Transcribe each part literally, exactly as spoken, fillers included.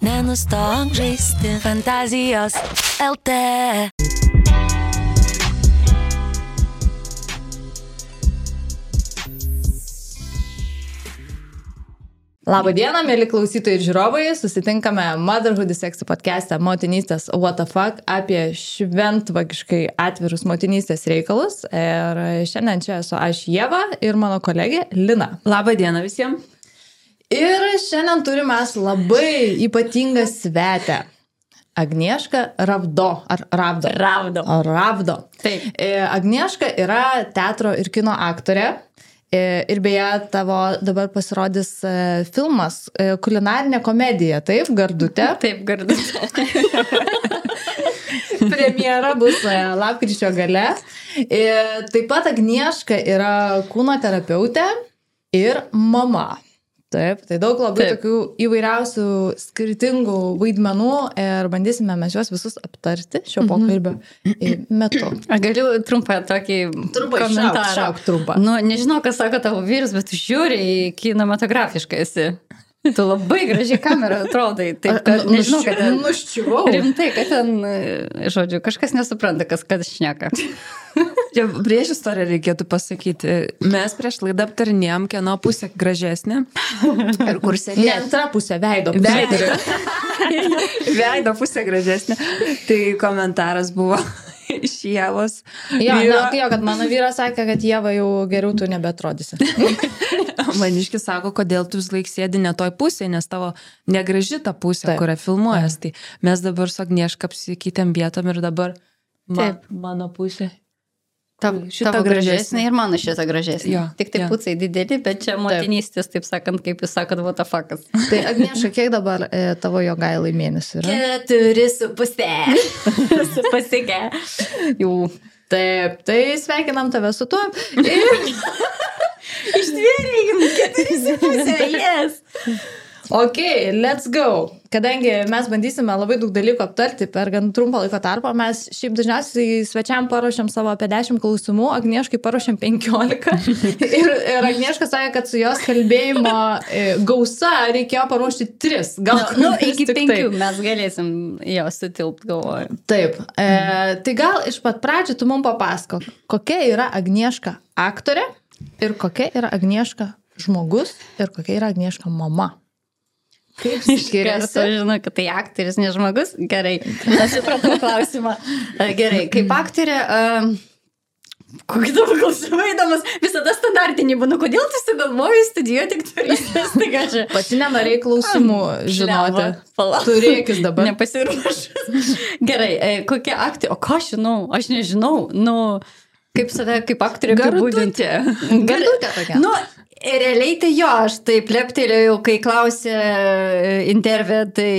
nenustok žaisti Fantazijos L T. Labą dieną, mėly klausytojai ir žiūrovai. Susitinkame Motherhood is Sexy podcast'e Motinystės What the Fuck apie šventvagiškai atvirus motinystės reikalus. Ir šiandien čia esu aš Ieva ir mano kolegė Lina. Labą dieną visiems. Ir šiandien turime labai ypatingą svetę. Agnieška Ravdo. Ar Ravdo? Ravdo. Ravdo. Taip. Agnieška yra teatro ir kino aktorė. Ir beje, tavo dabar pasirodys filmas kulinarinė komedija, taip, Gardutė? Taip, Gardutė. Premjera bus lapkričio gale. Ir taip pat Agnieška yra kūno terapeutė ir mama. Taip, tai daug labai Taip. Tokių įvairiausių skirtingų vaidmenų ir bandysime mes juos visus aptarti šio pokalbio metu. Aš galiu trumpą tokį Trumpai, komentarą. Šauk, šauk trumpą. Nu, nežinau, kas sako tavo vyras, bet tu žiūri kinematografiškai esi. Tu labai gražiai kamerą atrodai. Taip, kad, nežinau, kad ten... Nuščiuvau. Rimtai, kad ten, žodžiu, kažkas nesupranta, kas kad šneka. Čia prieš istoriją reikėtų pasakyti. Mes prieš laidą aptarinėjom, kieno pusė gražesnė. Ir kur sėdė. Ne, antra pusė, veido pusė. Veido. Veido pusė gražesnė. Tai komentaras buvo iš Ievos. Jo, vyro. Na, jo, kad mano vyras sakė, kad Ieva jau geriau tu nebeatrodysi. Maniškis sako, kodėl tu vis laik sėdi ne toj pusėje, nes tavo negraži ta pusė, Taip. Kurią filmuojas. Tai mes dabar su Agnieška apsikeitėm vietom ir dabar ma, mano pusė. Tavo, tavo gražesnė ir mano šitą gražesnė. Jo, Tik tai jo. Pucai dideli, bet čia motinystės, taip sakant, kaip jūs sakot, what the fuckas. Tai Agnieška, kiek dabar e, tavo jogailai mėnesių yra? Keturi su pusė. Su pasigė. Jau. Taip, tai sveikinam tave su tuo. Ir... Ištvėrėjim, keturi su pusė, yes. Ok, let's go. Kadangi mes bandysime labai daug dalykų aptarti per gan trumpą laiko tarpą, mes šiaip dažniausiai svečiam paruošiam savo apie dešimt klausimų, Agnieškai paruošiam penkiolika. ir, ir Agnieška sakė, kad su jos kalbėjimo gausa reikėjo paruošti tris. Gal nu, nu, iki penkių mes galėsim jo sutilpt, galvoju. Taip. E, tai gal iš pat pradžių tu mums papasakok, kokia yra Agnieška aktorė ir kokia yra Agnieška žmogus ir kokia yra Agnieška mama. Kaip skiriasi? Aš žinau, kad tai aktorius, ne žmogus. Gerai, aš supratau klausimą. Gerai, kaip aktorė, uh, kokį tavo klausimą įdomus, visada standartinį būnu, kodėl tu sugalvojai studijuoti aktorystės? Pati nenorėjai klausimų žinoti. Turėkis dabar. Nepasiruošęs. Gerai, kokia aktorė, o ką aš žinau? Aš nežinau, nu, kaip save, kaip aktorė apibūdinti. Gardutė tokia. Nu, realiai tai jo, aš taip leptelėjau, kai klausė intervė tai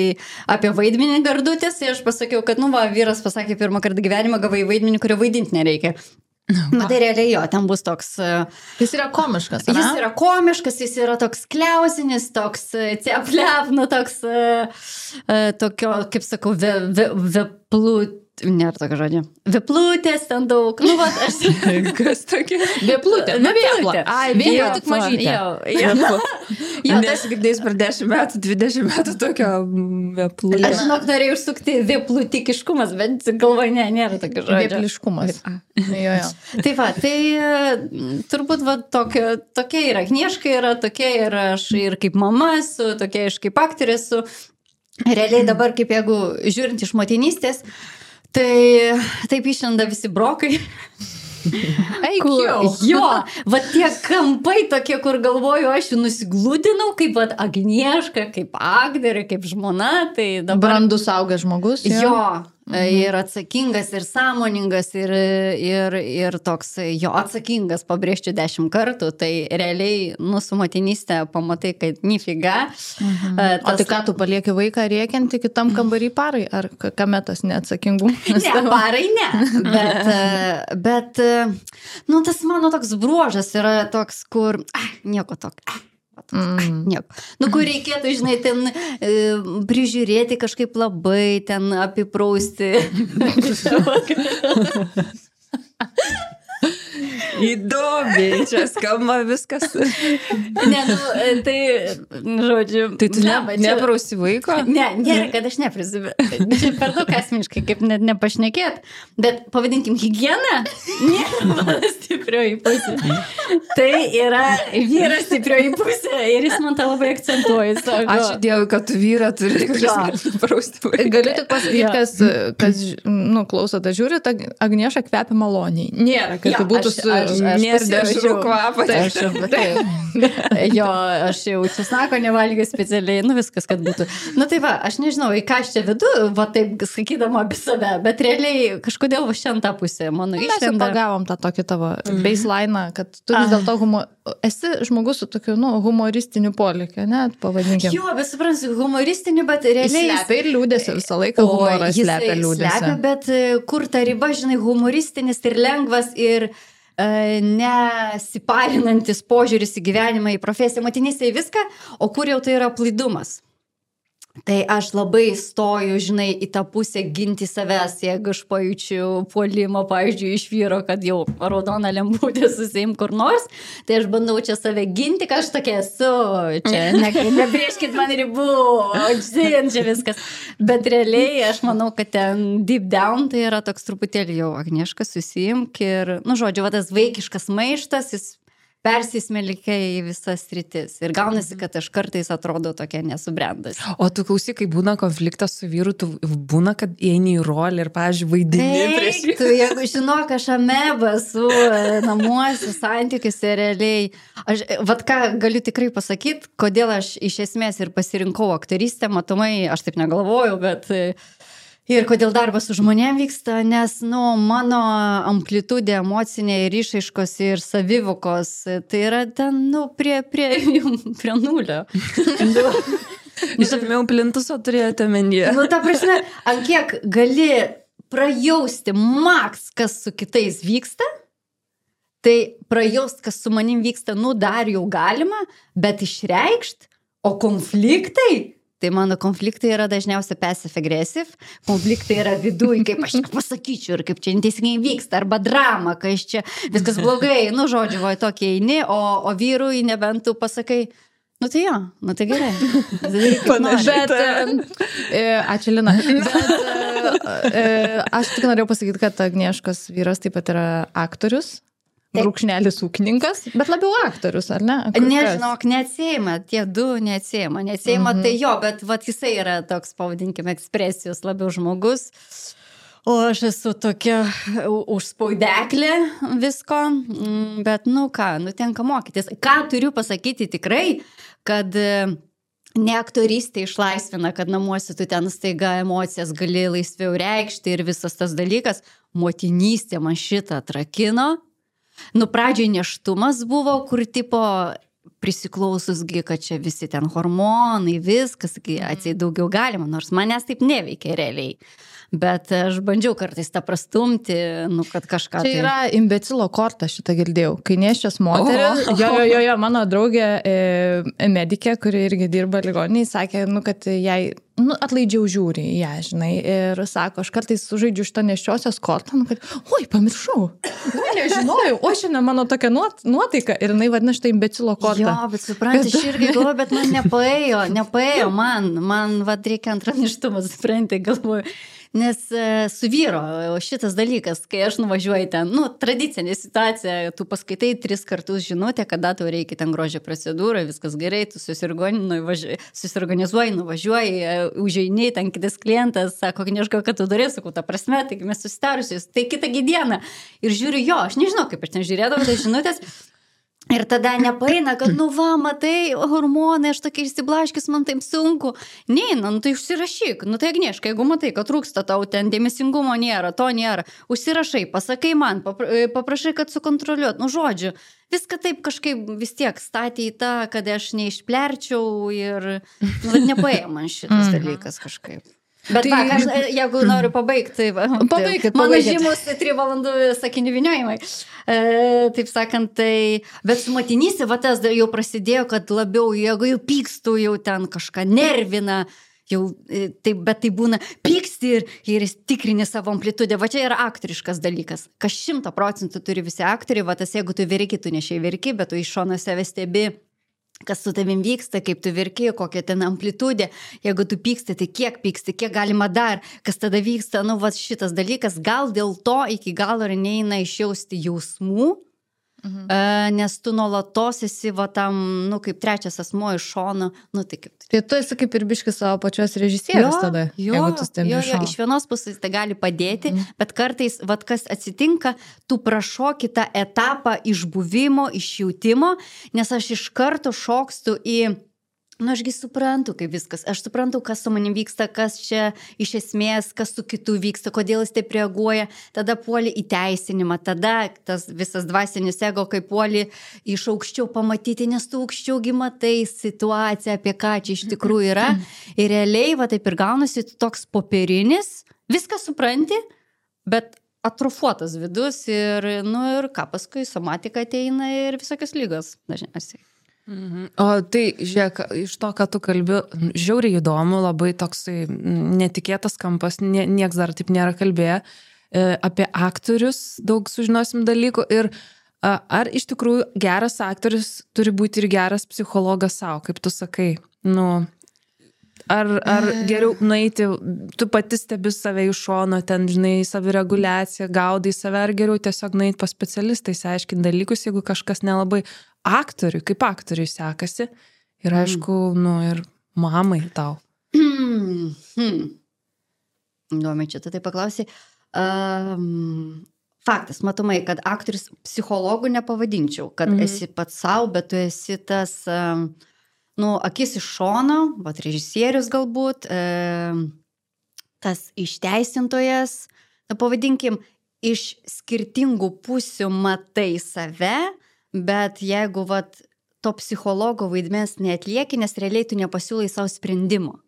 apie vaidmenį Gardutės, tai aš pasakiau, kad, nu va, vyras pasakė pirmą kartą gyvenimą, gavai vaidmenį, kurio vaidinti nereikia. Na, tai realiai jo, ten bus toks... Jis yra komiškas, ne? Jis yra komiškas, jis yra toks kliausinis, toks cepliap, nu toks, tokio, kaip sakau, veplut... Nėra tokio žodžio. Veplutės ten daug. Nu, va, aš... Kas tokia? Veplutė. Nu, vėplė. Ai, vėplė tik mažytė. Jo, jo. Jo, tas girdėjus per dešimt metų, dvidešimt metų tokio veplutė. Aš žinok, norėjau užsukti veplutikiškumas, bet galvoju, ne, nėra tokio žodžio. Vepliškumas. Jo, jo. Tai va, tai turbūt va, tokio, tokia yra Agnieška, yra tokia ir aš ir kaip mama esu, tokia aš kaip aktorė esu. Realiai dabar, kaip jeigu žiūrint iš motinystės, tai taip išlenda visi brokai. Eik jau. Jo, va tie kampai tokie, kur galvoju, aš jų nusiglūdinau, kaip va Agnieška, kaip aktorė, kaip žmona. Tai dabar... Brandus augęs žmogus. Jo. jo. Mhm. Ir atsakingas, ir sąmoningas, ir, ir, ir toks jo atsakingas, pabrėžčiau dešimt kartų, tai realiai, nu, su motinystė pamatai, kad nifiga. Mhm. Tas... O tai ką, tu palieki vaiką rėkiantį kitam kambarį parai, ar kame tas neatsakingumas? Ne, parai ne, bet, bet, nu, tas mano toks bruožas yra toks, kur, ah, nieko tokio. Mm. Nieko. Nu, kur reikėtų, žinai, ten e, prižiūrėti kažkaip labai, ten apiprausti. Įdomiai, čia skamba viskas. Ne, nu, tai, žodžiu. Tai tu ne, ne, neprausi vaiko? Ne, nėra, kad aš neprisiu. Čia per daug asmeniškai, kaip net nepašnekėt. Bet pavadinkim higieną, nėra mano stiprioji pusė. Tai yra vyras stiprioji pusė ir jis man tą labai akcentuoja. Sako. Ačiū Dievui, kad tu vyrą turi, kuris gali prausti vaiką. Galiu tik pasakyti, kas, kas nu, klauso, ta žiūri, ta Agnieša kvepia maloniai. Nėra, kad Jo, tai būtų aš- su... aš- aš Nėra pasirašiau. dešrų kvapą. Aš, taip. Jo, aš jau česnako nevalgiau specialiai, nu viskas, kad būtų. Nu tai va, aš nežinau, į ką aš čia vedu, va taip sakydama apie save, bet realiai kažkodėl va šiandien tą pusę, mano Mes jau išlenda. pagavom tą tokį tavo baseline, kad tu vis dėlto humo... esi žmogus su tokiu nu, humoristiniu polėkiu, net pavadinkim. Jo, bet suprantu, humoristinį, bet realiai... Slepia ir liūdėsi visą laiką, humoras jisai slepia liūdėsi. Slepia, bet e, kur ta riba, žinai, humoristinis ir lengvas ir e, nesiparinantis požiūris į gyvenimą, į profesiją, motinystę, į viską, o kur jau tai yra plaidumas. Tai aš labai stoju, žinai, į tą pusę ginti savęs, jeigu aš pajaučiu puolimą, pavyzdžiui, iš vyro, kad jau raudona lemputė susiim kur nors, tai aš bandau čia save ginti, kad aš tokia esu, čia ne, nebrėžkit man ribų, žin, čia viskas. Bet realiai aš manau, kad ten deep down tai yra toks truputėlį jau Agnieška susiimk ir, nu žodžiu, va tas vaikiškas maištas, jis persismelkia į visas sritis. Ir gaunasi, kad aš kartais atrodo tokia nesubrendas. O tu klausyk, kai būna konfliktas su vyru, tu būna, kad eini į rolę ir, pavyzdžiui, vaidini prieš jį. Tu, jeigu žinok, aš ameba su namuose, santykiuose realiai. Aš, vat ką galiu tikrai pasakyti, kodėl aš iš esmės ir pasirinkau aktorystę, matomai, aš taip negalvojau, bet... Ir kodėl darbas su žmonėm vyksta, nes, nu, mano amplitudė emocinė ir išaiškos ir savivokos, tai yra ten, nu, prie, prie, prie nulio. Jūs apimėjau plintuso turėjote menyje. Nu, ta prasme, ant kiek gali prajausti maks, kas su kitais vyksta, tai prajaust, kas su manim vyksta, nu, dar jau galima, bet išreikšt, o konfliktai... Tai mano konfliktai yra dažniausiai passive-aggressive, konfliktai yra viduj, kaip aš čia pasakyčiau ir kaip čia neteisingai vyksta, arba drama, kai aš čia viskas blogai, nu žodžiu, va tokie eini, o, o vyrui nebent tu pasakai, nu tai jo, nu tai gerai. Bet, e, ačiū Lina, bet e, aš tik norėjau pasakyti, kad Agnieškos vyras taip pat yra aktorius. Brūkšnelis ūkininkas, bet labiau aktorius, ar ne? Kur Nežinok, neatsėjama, tie du neatsėjama, neatsėjama, mm-hmm. tai jo, bet vat, jisai yra toks, pavadinkime, ekspresijos labiau žmogus, o aš esu tokia užspaudeklė visko, bet nu ką, nu tenka mokytis. Ką turiu pasakyti tikrai, kad ne aktorystė išlaisvina, kad namuose tu ten staiga emocijas gali laisviau reikšti ir visas tas dalykas, motinystė man šitą atrakino. Nu, pradžioj neštumas buvo, kur tipo prisiklaususgi, kad čia visi ten hormonai, viskas, atsiai daugiau galima, nors manęs taip neveikia realiai. Bet aš bandžiau kartais tą prastumti, nu, kad kažką... Čia yra imbecilo korta, šitą girdėjau. Kai nėščias moteris, jo, jo, jo, jo, mano draugė e, medikė, kuri irgi dirba ligoniniai, sakė, nu, kad jai nu, atlaidžiau žiūri į ją, žinai, ir sako, aš kartais sužaidžiu šitą nėščiosios kortą, nu, kad, oi, pamiršau, nu, nežinojau, o šiandien mano tokia nuot, nuotaika ir jinai vadina šitą imbecilo kortą. Jo, bet supranti, aš irgi galvoju, bet man nepaėjo, nepaėjo man, man vad reikia antrą nėštumą, supranti, galvoju. Nes su vyro šitas dalykas, kai aš nuvažiuoju ten, nu, tradicinė situacija, tu paskaitai tris kartus žinutę, kada tau reikia ten grožio procedūrą, viskas gerai, tu susiorganizuoji, nuvažiuoji, užeini, ten kitas klientas, sako, Agnieška, kad tu darai, sakau, ta prasme, taigi mes susitarusius, tai kitą dieną. Ir žiūriu, jo, aš nežinau, kaip aš ten žiūrėdavau tas žinutės. Ir tada nepaeina, kad, nu va, matai, hormonai, aš tokia išsiblaškis, man taip sunku. Neina, nu tai užsirašyk, nu tai Agnieška, jeigu matai, kad trūksta tau ten dėmesingumo nėra, to nėra, užsirašai, pasakai man, paprašai, kad sukontroliuot, nu žodžiu, viską taip kažkaip vis tiek statė į tą, kad aš neišplerčiau ir, nu, nepaėjo man šitas dalykas kažkaip. Bet tai, va, aš, jeigu noriu pabaigti, pabaigit, mano pabaigit. žymus trijų valandų sakinių vyniojimai. E, taip sakant, tai, bet su motinystė, va tas jau prasidėjo, kad labiau, jeigu jau pykstų, jau ten kažką nervina, jau, tai, bet tai būna pyksti ir, ir tikrini savo amplitudę. Va čia yra aktoriškas dalykas. Kas šimta procentų turi visi aktoriai, va tas jeigu tu verki, tu nešiai verki, bet tu iš šono save stebi, kas su tavim vyksta, kaip tu verki, kokia ten amplitudė. Jeigu tu pyksti, tai kiek pyksti, kiek galima dar, kas tada vyksta, nu va šitas dalykas, gal dėl to iki galo ir neina išjausti jausmų, mhm. nes tu nuolatos esi va tam, nu kaip trečias asmuo iš šono, nu tai kaip. Tai tu esi kaip ir biškis savo pačios režisierius tada, jo, jeigu tu stebi jo, iš jo, šono. iš vienos pusės tai gali padėti, mhm. bet kartais, va kas atsitinka, tu prašoki tą etapą išbuvimo, išjautimo, nes aš iš karto šokstu į nu, ašgi suprantu, kaip viskas. Aš suprantu, kas su manim vyksta, kas čia iš esmės, kas su kitu vyksta, kodėl jis taip reaguoja. Tada puoli į teisinimą, tada tas visas dvasinis ego, kaip puoli iš aukščiau pamatyti, nes tu aukščiau gi matai situaciją, apie ką čia iš tikrųjų yra. Ir realiai, va taip ir gaunasi toks popierinis, viską supranti, bet atrofuotas vidus ir, nu, ir ką paskui somatika ateina ir visokios lygos dažniausiai. Mhm. O tai, žiūrėk, iš to, ką tu kalbi, žiauriai įdomu, labai toksai netikėtas kampas, nie, nieks dar taip nėra kalbėję, e, apie aktorius daug sužinosim dalykų ir a, ar iš tikrųjų geras aktorius turi būti ir geras psichologas savo, kaip tu sakai, nu, ar, ar geriau nueiti, tu pati stebi save iš šono, ten, žinai, savireguliaciją, gaudai save, ar geriau tiesiog nueiti pas specialistai, išsiaiškinti dalykus, jeigu kažkas nelabai aktoriui, kaip aktoriui sekasi. Ir aišku, mm. nu, ir mamai tau. Hmm. Hmm. Įdomiai, čia tu tai paklausai. Um, faktas, matomai, kad aktorius psichologų nepavadinčiau, kad mm. esi pats savo, bet tu esi tas, um, nu, akis iš šono, vat režisierius galbūt, um, tas išteisintojas, na, pavadinkim, iš skirtingų pusių matai save, bet jeigu vat, to psichologo vaidmens neatlieki, nes realiai tu nepasiūlai savo sprendimo.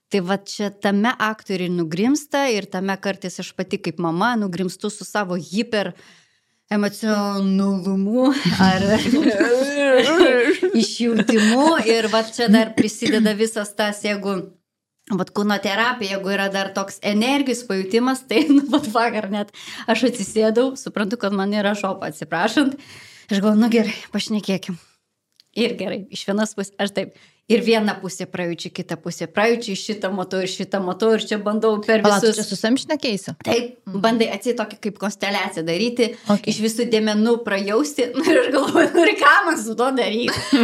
Tai vat čia tame aktoriai nugrimsta ir tame kartais aš pati kaip mama nugrimstu su savo hiper emocionalumu ar išjautimu ir vat čia dar prisideda visas tas, jeigu vat kūno terapija, jeigu yra dar toks energijos pajutimas, tai nu, vat vakar net aš atsisėdau, suprantu, kad man yra šopa, atsiprašant. Aš galvoju, nu gerai, pašnekėkim. Ir gerai, iš vienos pusės, aš taip, ir vieną pusę prajučiu, kitą pusę prajučiu, šitą motu ir šitą motu ir čia bandau per visus... Palauk, čia su savim šnekėsi? Taip, bandai atsiai tokį kaip konsteliaciją daryti, okay. Iš visų dėmenų prajausti, nu ir aš galvoju, nu ir ką man su to daryti?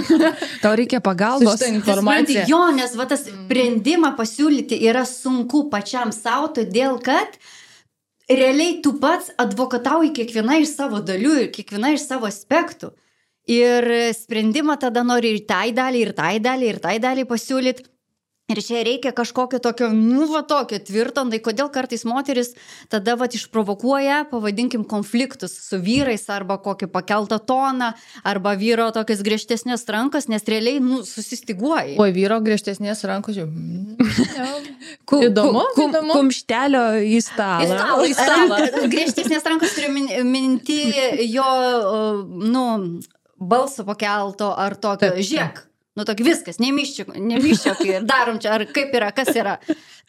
Tau reikia pagalbos. Informacija. Jo, nes va tas sprendimą pasiūlyti yra sunku pačiam savo, todėl kad realiai tu pats advokatauji kiekviena iš savo dalių ir kiekviena iš savo aspektų. Ir sprendimą tada nori ir tai dalį, ir tai dalį, ir tai dalį pasiūlyti. Ir čia reikia kažkokio tokio, nu, va tokio tvirto, tai kodėl kartais moteris tada va išprovokuoja, pavadinkim, konfliktus su vyrais arba kokį pakeltą toną, arba vyro tokias griežtesnės rankos, nes realiai, nu, susistiguoja. O vyro griežtesnės rankos jau... Įdomu, kum, įdomu. Kumštelio į stalą. Į stalą, į stalą. Griežtesnės rankos turiu minti jo, nu, balso pakelto ar tokio žiek. Nu, tokį viskas, nemiščiok, nemiščiok ir darom čia, ar kaip yra, kas yra.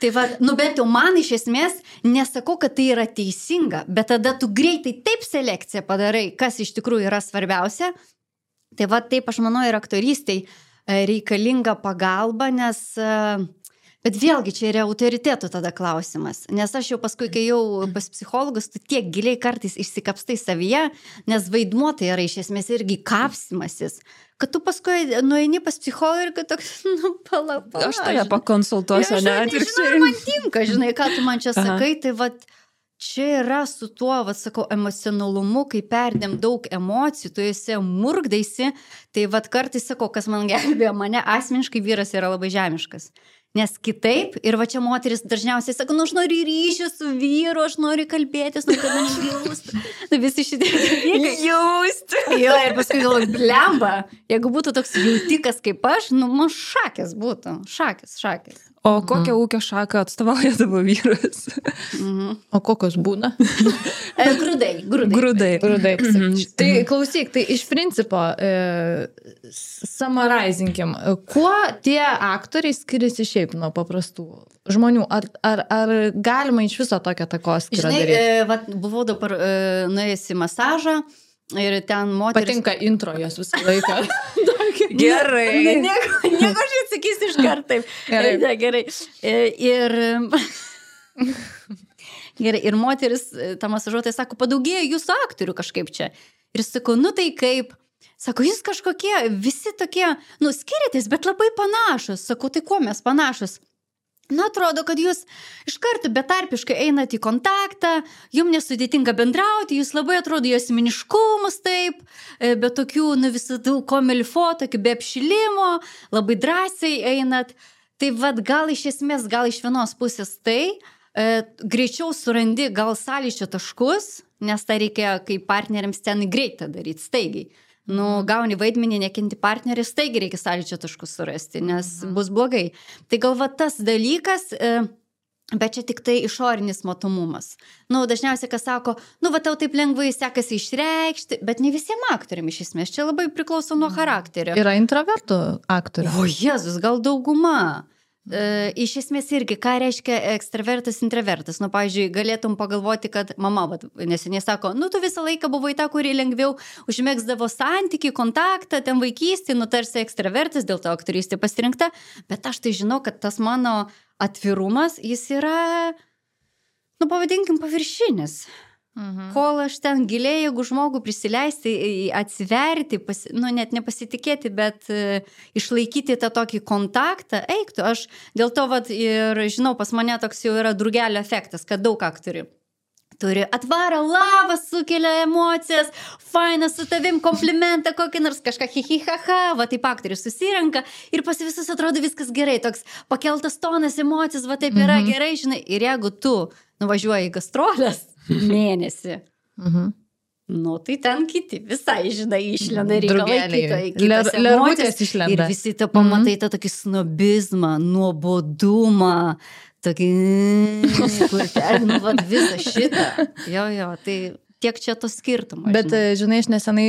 Tai va, nu, bent jau man iš esmės nesakau, kad tai yra teisinga, bet tada tu greitai taip selekciją padarai, kas iš tikrųjų yra svarbiausia. Tai va, taip aš manau ir aktorystai reikalinga pagalba, nes... Bet vėlgi čia yra autoritetų tada klausimas, nes aš jau paskui, kai jau pas psichologus, tu tiek giliai kartais išsikapstai savyje, nes vaidmuo tai yra iš esmės irgi kapsimasis, kad tu paskui nueini pas psichologą ir kad toks, nu, pala, pala. Aš tave pakonsultuosiu, ne? Aš nežinau, man tinka, žinai, ką tu man čia sakai, Aha. tai va, čia yra su tuo, va, sakau, emocionalumu, kai perdėm daug emocijų, tu esi murgdaisi, tai va, kartais sakau, kas man gelbėjo, mane asmeniškai vyras yra labai žemiškas. Nes kitaip, ir va čia moteris dažniausiai sako, nu aš noriu ryšį su vyru, aš noriu kalbėtis, nu kad man jaustų. Nu visi šitie dalykai. Jausti. Jo, ir paskui galvoju, blemba, jeigu būtų toks jautikas kaip aš, nu man šakės būtų, šakės, šakės. O kokią mhm. ūkio šaką atstovauja tavo vyras? Mhm. O kokios būna? E, grūdai, grūdai. Grūdai. Grūdai. Tai klausyk, tai iš principo, e, summarizinkim, kuo tie aktoriai skiriasi šiaip? šiaip nuo paprastų žmonių? Ar, ar, ar galima iš viso tokią takoskyrą daryti? Žinai, e, vat, buvau dabar e, nuėjęs į masažą ir ten moteris... Patinka intro jos visą laiką. Gerai. Ne, nieko, nieko aš atsakysiu iš karto taip. Gerai. Ne, gerai. E, ir... Gerai, ir moteris, ta masažuotoja sako, padaugėjo jūsų aktorių kažkaip čia. Ir sakau, nu tai kaip... Sako, jūs kažkokie, visi tokie, nu, skiriatės, bet labai panašus. Sakau, tai kuo mes panašus? Na, atrodo, kad jūs iš karto betarpiškai einat į kontaktą, jums nesudėtinga bendrauti, jūs labai atrodo jos miniškumus taip, be tokių, nu, visų komilfo, tokių be apšilimo, labai drąsiai einat. Tai vad, gal iš esmės, gal iš vienos pusės tai, e, greičiau surandi gal sąlyčio taškus, nes tai reikia kaip partneriams ten greitą daryti, staigiai. Nu, gauni vaidmenį, nekinti partnerį, taigi reikia sąlyčio taškus surasti, nes mhm. bus blogai. Tai galva tas dalykas, bet čia tik tai išorinis matomumas. Nu, dažniausiai, kas sako, nu, va, tau taip lengvai sekasi išreikšti, bet ne visiems aktoriam iš esmės, čia labai priklauso nuo charakterio. Yra introvertų aktorių. O, Jėzus, gal dauguma. E, iš esmės irgi, ką reiškia ekstravertas, introvertas. Nu, pavyzdžiui, galėtum pagalvoti, kad mama, vat, neseniai sako, nu, tu visą laiką buvai ta, kuri lengviau užmėgsdavo santykį, kontaktą, ten vaikystį, nu, tarsi ekstravertas, dėl to aktorystė pasirinkta, bet aš tai žinau, kad tas mano atvirumas, jis yra, nu, pavadinkim, paviršinis. Mhm. Kol aš ten giliai, jeigu žmogų prisileisti, atsiverti, pasi, nu net nepasitikėti, bet uh, išlaikyti tą tokį kontaktą, eiktų. Aš dėl to vat, ir žinau, pas mane toks jau yra drugelio efektas, kad daug aktorių turi atvarą lavą, sukelia emocijas, faina su tavim, komplimentą kokį nors kažką hihihaha, va taip aktorius susirenka ir pas visus atrodo viskas gerai, toks pakeltas tonas, emocijos, va taip yra mhm. gerai, žinai, ir jeigu tu nuvažiuoji į gastrolės mėnesį, mhm. nu tai ten kiti visai, žinai, išlenda reikalai kito, kitas emocijas ir visi tą pamatai mhm. tą tokį snobizmą, nuobodumą, tokį, kur ten, nu, vat, visą šitą. Jo, jo, tai tiek čia to skirtumo. Bet, žinai, žinai aš nesenai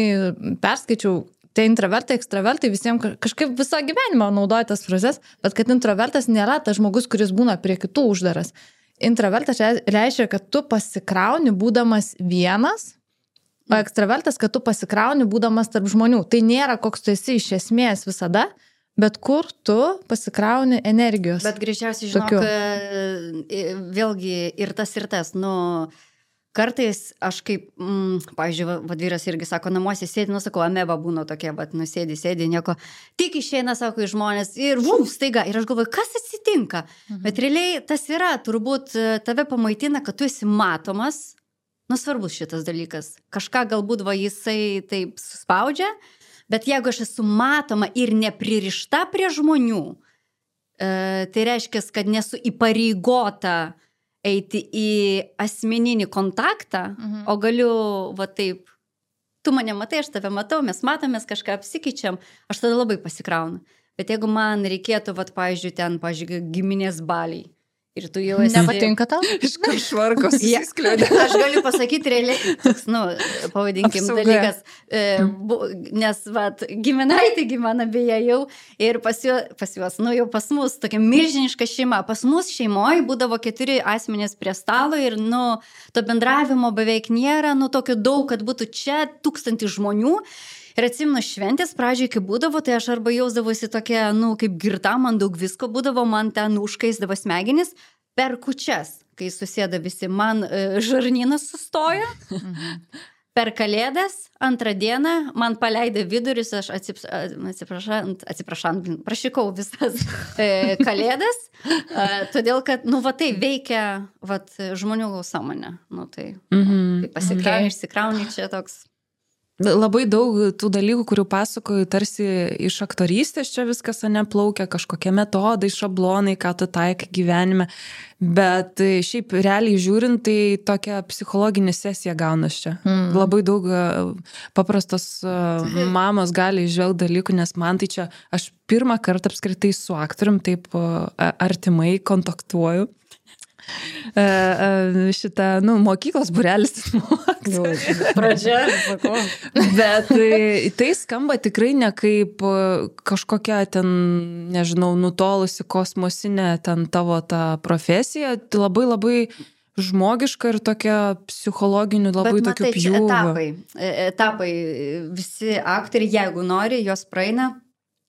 perskaičiau, tai introvertai, ekstravertai visiems kažkaip visą gyvenimą naudoja tas frazes, bet kad introvertas nėra tas žmogus, kuris būna prie kitų uždaras. Introvertas reiškia, kad tu pasikrauni būdamas vienas, o ekstravertas, kad tu pasikrauni būdamas tarp žmonių. Tai nėra koks tu esi iš esmės visada, bet kur tu pasikrauni energijos. Bet greičiausiai, žinok, tokiu. Vėlgi ir tas ir tas, nu, kartais aš kaip, mm, pavyzdžiui, vadvyras irgi sako, namuose sėdi, nu, sakau, ameba būna tokia, bet, nu, sėdi, sėdi, nieko, tik išeina, sako, iš žmonės ir vum, staiga, ir aš galvoju, kas atsitinka? Mhm. Bet realiai tas yra, turbūt tave pamaitina, kad tu esi matomas, nu, svarbus šitas dalykas. Kažką galbūt va jisai taip suspaudžia, bet jeigu aš esu matoma ir nepririšta prie žmonių, e, tai reiškia, kad nesu įpareigota eiti į asmeninį kontaktą, mhm. o galiu, va taip, tu mane matai, aš tave matau, mes matomės, kažką apsikeičiam, aš tada labai pasikraunu. Bet jeigu man reikėtų, va, pavyzdžiui, ten, pavyzdžiui, giminės baliai, ir tu jau esi... Nepatinka tau? Iš kažvarkos įskliūdė. Aš galiu pasakyti realiai, toks, nu, pavadinkim Apsauga. dalykas, e, bu, nes, vat, giminaitė gyvena beje jau ir pas, juo, pas juos, nu, jau pas mus tokia milžiniška šeima. Pas mus šeimoje būdavo keturi asmenys prie stalo ir, nu, to bendravimo beveik nėra, nu, tokio daug, kad būtų čia tūkstantį žmonių. Ir atsimenu šventės pradžiai, kai būdavo, tai aš arba jausdavosi tokia, nu, kaip girta, man daug visko būdavo, man ten užkaisdavo smegenis per kūčias, kai susėda visi, man e, žarnynas sustoja, mhm. per kalėdas, antrą dieną, man paleido vidurius, aš atsiprašant, atsiprašant, prašykau visas e, kalėdas, e, todėl, kad, nu, va tai veikia, va, žmonių sąmonę, nu, tai, mhm. tai pasikrauni, okay. išsikrauni čia toks. Labai daug tų dalykų, kurių pasakoju, tarsi iš aktorystės čia viskas neplaukia, kažkokie metodai, šablonai, ką tu taikai gyvenime, bet šiaip realiai žiūrint, tai tokia psichologinė sesija gaunas čia. Mm. Labai daug paprastos mamos gali išžvelgti dalykų, nes man tai čia, aš pirmą kartą apskritai su aktorium taip artimai kontaktuoju. šitą, nu, mokyklos būrelis. Pradžia, sakau. Bet tai skamba tikrai ne kaip kažkokia ten, nežinau, nutolusi kosmosinė ten tavo ta profesija, labai labai žmogiška ir tokia psichologinių labai Bet, tokių matai, čia pjūvių. etapai, etapai, visi aktoriai, jeigu nori, jos praeina.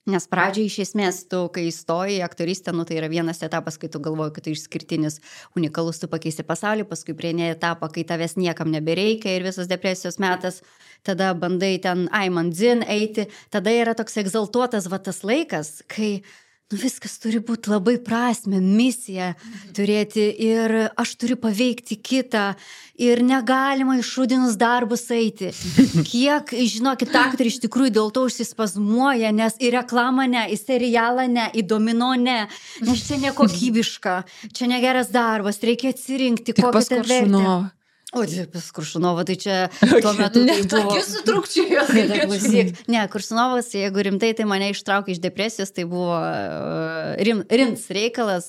Nes pradžiai iš esmės tu, kai įstoji į aktorystę, nu, tai yra vienas etapas, kai tu galvoji, kad tai išskirtinis, unikalus, tu pakeisi pasaulį, paskui prieini etapą, kai tavęs niekam nebereikia ir visos depresijos metas, tada bandai ten aiman dzin eiti, tada yra toks egzaltuotas va tas laikas, kai nu, viskas turi būti labai prasme, misija turėti ir aš turiu paveikti kitą ir negalima išrūdinus darbus eiti. Kiek, žinokit, aktoriai iš tikrųjų dėl to užsispazmuoja, nes į reklamą ne, į serialą ne, į domino ne, nes čia nekokybiška, čia negeras darbas, reikia atsirinkti, Tik kokią pas ten vertę. Koršunovą. O, pas Koršunovą, tai čia tuo metu tai buvo... Tokie sutrukčiai. Klausyk, ne, Koršunovas, jeigu rimtai, tai mane ištraukė iš depresijos, tai buvo uh, rim, rimts reikalas.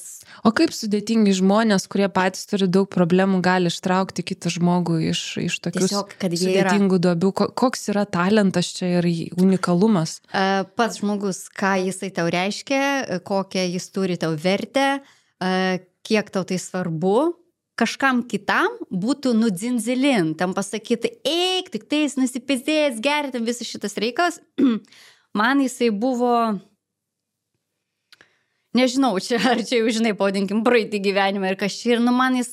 O kaip sudėtingi žmonės, kurie patys turi daug problemų, gali ištraukti kitą žmogų iš, iš tokių Tiesiog, kad jie yra- sudėtingų duobių? Ko- Koks yra talentas čia ir unikalumas? Uh, pats žmogus, ką jisai tau reiškia, kokią jis turi tau vertę, uh, kiek tau tai svarbu. Kažkam kitam būtų nudzinzilin, tam pasakyti, eik, tik tais nusipizės, gerti visas šitas reikalas. Man jisai buvo, nežinau, čia, ar čia jau, žinai, pavadinkim, praeitį gyvenimą ir kažkaip, ir nu man jis,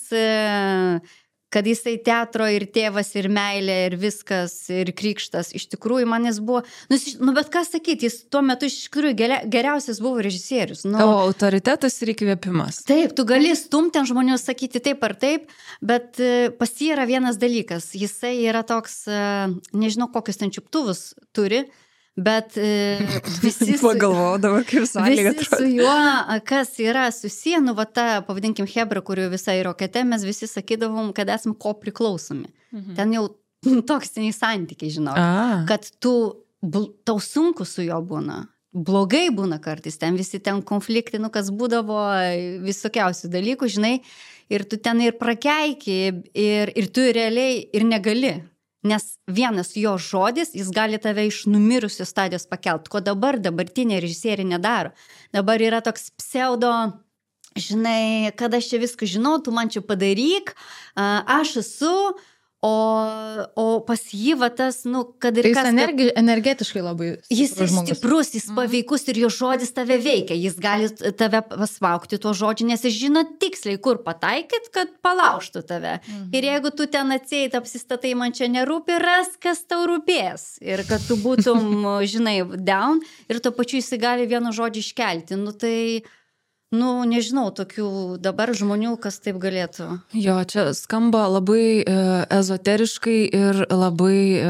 kad jisai teatro ir tėvas, ir meilė, ir viskas, ir krikštas, iš tikrųjų man jis buvo, nu, nu bet ką sakyti, jis tuo metu iš tikrųjų geriausias buvo režisierius. Nu, Tavo autoritetas ir įkvėpimas. Taip, tu gali stumti ant žmonių sakyti taip ar taip, bet pas jį yra vienas dalykas. Jisai yra toks, nežinau, kokius ten čiuptuvus turi, bet visi su, Pagalvojau dabar, kaip sąlyga visi su juo, kas yra susiję, nu va ta, pavadinkim, Hebra, kuriuo visai rokete, mes visi sakydavom, kad esam ko priklausomi. Mhm. Ten jau toksiniai santykiai, žinau, A. kad tu, tau sunku su juo būna. Blogai būna kartais, ten visi ten konfliktai, nu kas būdavo visokiausių dalykų, žinai, ir tu ten ir prakeiki, ir, ir tu realiai ir negali, nes vienas jo žodis, jis gali tave iš numirusios stadijos pakelt, ko dabar dabartinė režisieriai nedaro. Dabar yra toks pseudo, žinai, kad aš čia viską žinau, tu man čia padaryk, aš esu, O, o pas jį va tas, nu, kad ir Tai kas... jis energi, energetiškai labai Jis žmogus. stiprus, jis paveikus ir jo žodis tave veikia. Jis gali tave pasmaukti tuo žodžiu, nes jis žino tiksliai, kur pataikyt, kad palaužtų tave. Mhm. Ir jeigu tu ten atseit apsistatai, man čia nerūpi, ras, kas tau rūpės. Ir kad tu būtum, žinai, down ir tuo pačiu jis gali vienu žodžiu iškelti. Nu tai... Nu, nežinau, tokių dabar žmonių, kas taip galėtų. Jo, čia skamba labai e, ezoteriškai ir labai e,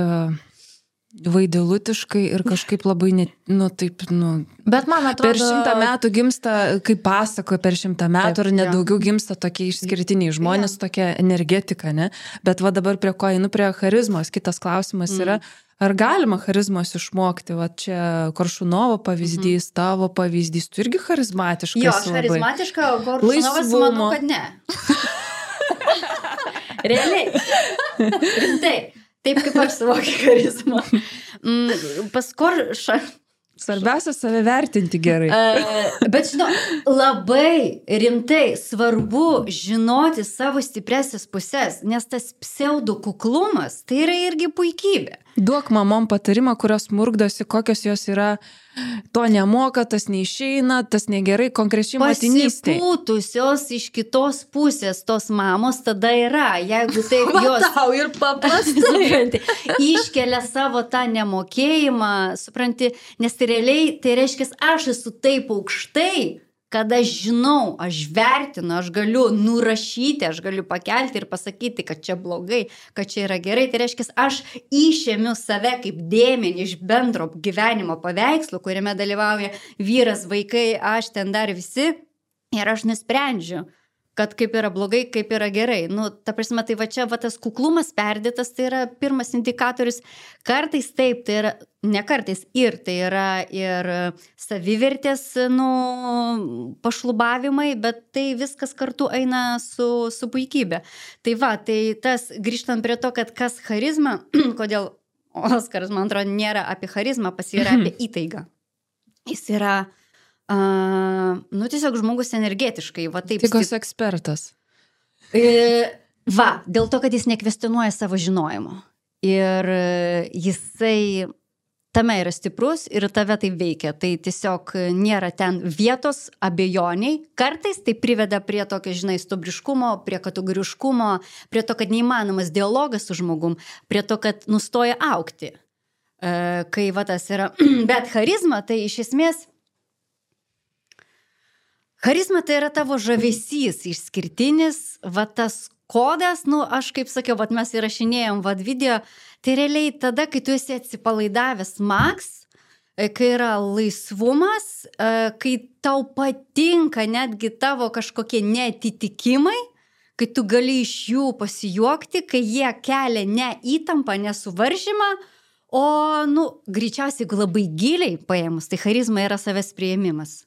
vaidilutiškai ir kažkaip labai, net, nu, taip, nu... Bet man atrodo... Per šimtą metų gimsta, kaip pasakoja, per šimtą metų Taip, ir net jo. daugiau gimsta tokie išskirtiniai žmonės, ja. Tokia energetika, ne? Bet va dabar prie ko einu, prie charizmos. Kitas klausimas mm. yra, ar galima charizmos išmokti? Va čia Koršunovo pavyzdys, mm. tavo pavyzdys, tu irgi charizmatiškas. Jo, aš charizmatiška, o Koršunovas manau, kad ne. Realiai. Rimtai. Taip kaip aš suvokiu charizmą. Mm, pas Koršą... Svarbiausia save vertinti gerai. Uh, bet žinau, labai rimtai svarbu žinoti savo stipresias pusės, nes tas pseudo kuklumas, tai yra irgi puikybė. Duok mamom patarimą, kurios murkdosi, kokios jos yra, to nemoka, tas neišeina, tas negerai, konkrečiai motinystėje. Pasipūtusios iš kitos pusės tos mamos tada yra, jeigu taip jos... Tau ir paprastai. Iškelia savo tą nemokėjimą, supranti, nes tai realiai, tai reiškia, aš esu taip aukštai, kad aš žinau, aš vertinu, aš galiu nurašyti, aš galiu pakelti ir pasakyti, kad čia blogai, kad čia yra gerai. Tai reiškia, aš išėmiu save kaip dėmenį iš bendro gyvenimo paveikslo, kuriame dalyvauja vyras, vaikai, aš ten dar visi. Ir aš nusprendžiu, kad kaip yra blogai, kaip yra gerai. Nu, ta prasme, tai va čia va tas kuklumas perdėtas, tai yra pirmas indikatorius. Kartais taip, tai yra, ne kartais, ir tai yra ir savivertės, nu, pašlubavimai, bet tai viskas kartu eina su, su puikybė. Tai va, tai tas, grįžtant prie to, kad kas charizma, kodėl Oskaras, man atrodo, nėra apie charizmą, pas jį yra apie įtaigą. Jis yra, uh, nu, tiesiog žmogus energetiškai, va taip. Tikos ekspertas. E, va, dėl to, kad jis nekvestionuoja savo žinojimo. Ir jisai tame yra stiprus ir tave tai veikia. Tai tiesiog nėra ten vietos abejoniai. Kartais tai priveda prie tokio, žinai, stubriškumo, prie kategoriškumo, prie to, kad neįmanomas dialogas su žmogum, prie to, kad nustoja augti. Kai va tas yra. Bet charizma tai iš esmės, charizma tai yra tavo žavesys išskirtinis, va tas kodas, nu aš kaip sakiau, va mes įrašinėjom va video, tai realiai tada, kai tu esi atsipalaidavęs maks, kai yra laisvumas, kai tau patinka netgi tavo kažkokie neatitikimai, kai tu gali iš jų pasijuokti, kai jie kelia ne įtampą, nesuvaržymą, o, nu, greičiausiai, jeigu labai giliai paėmus, tai charizma yra savęs priėmimas.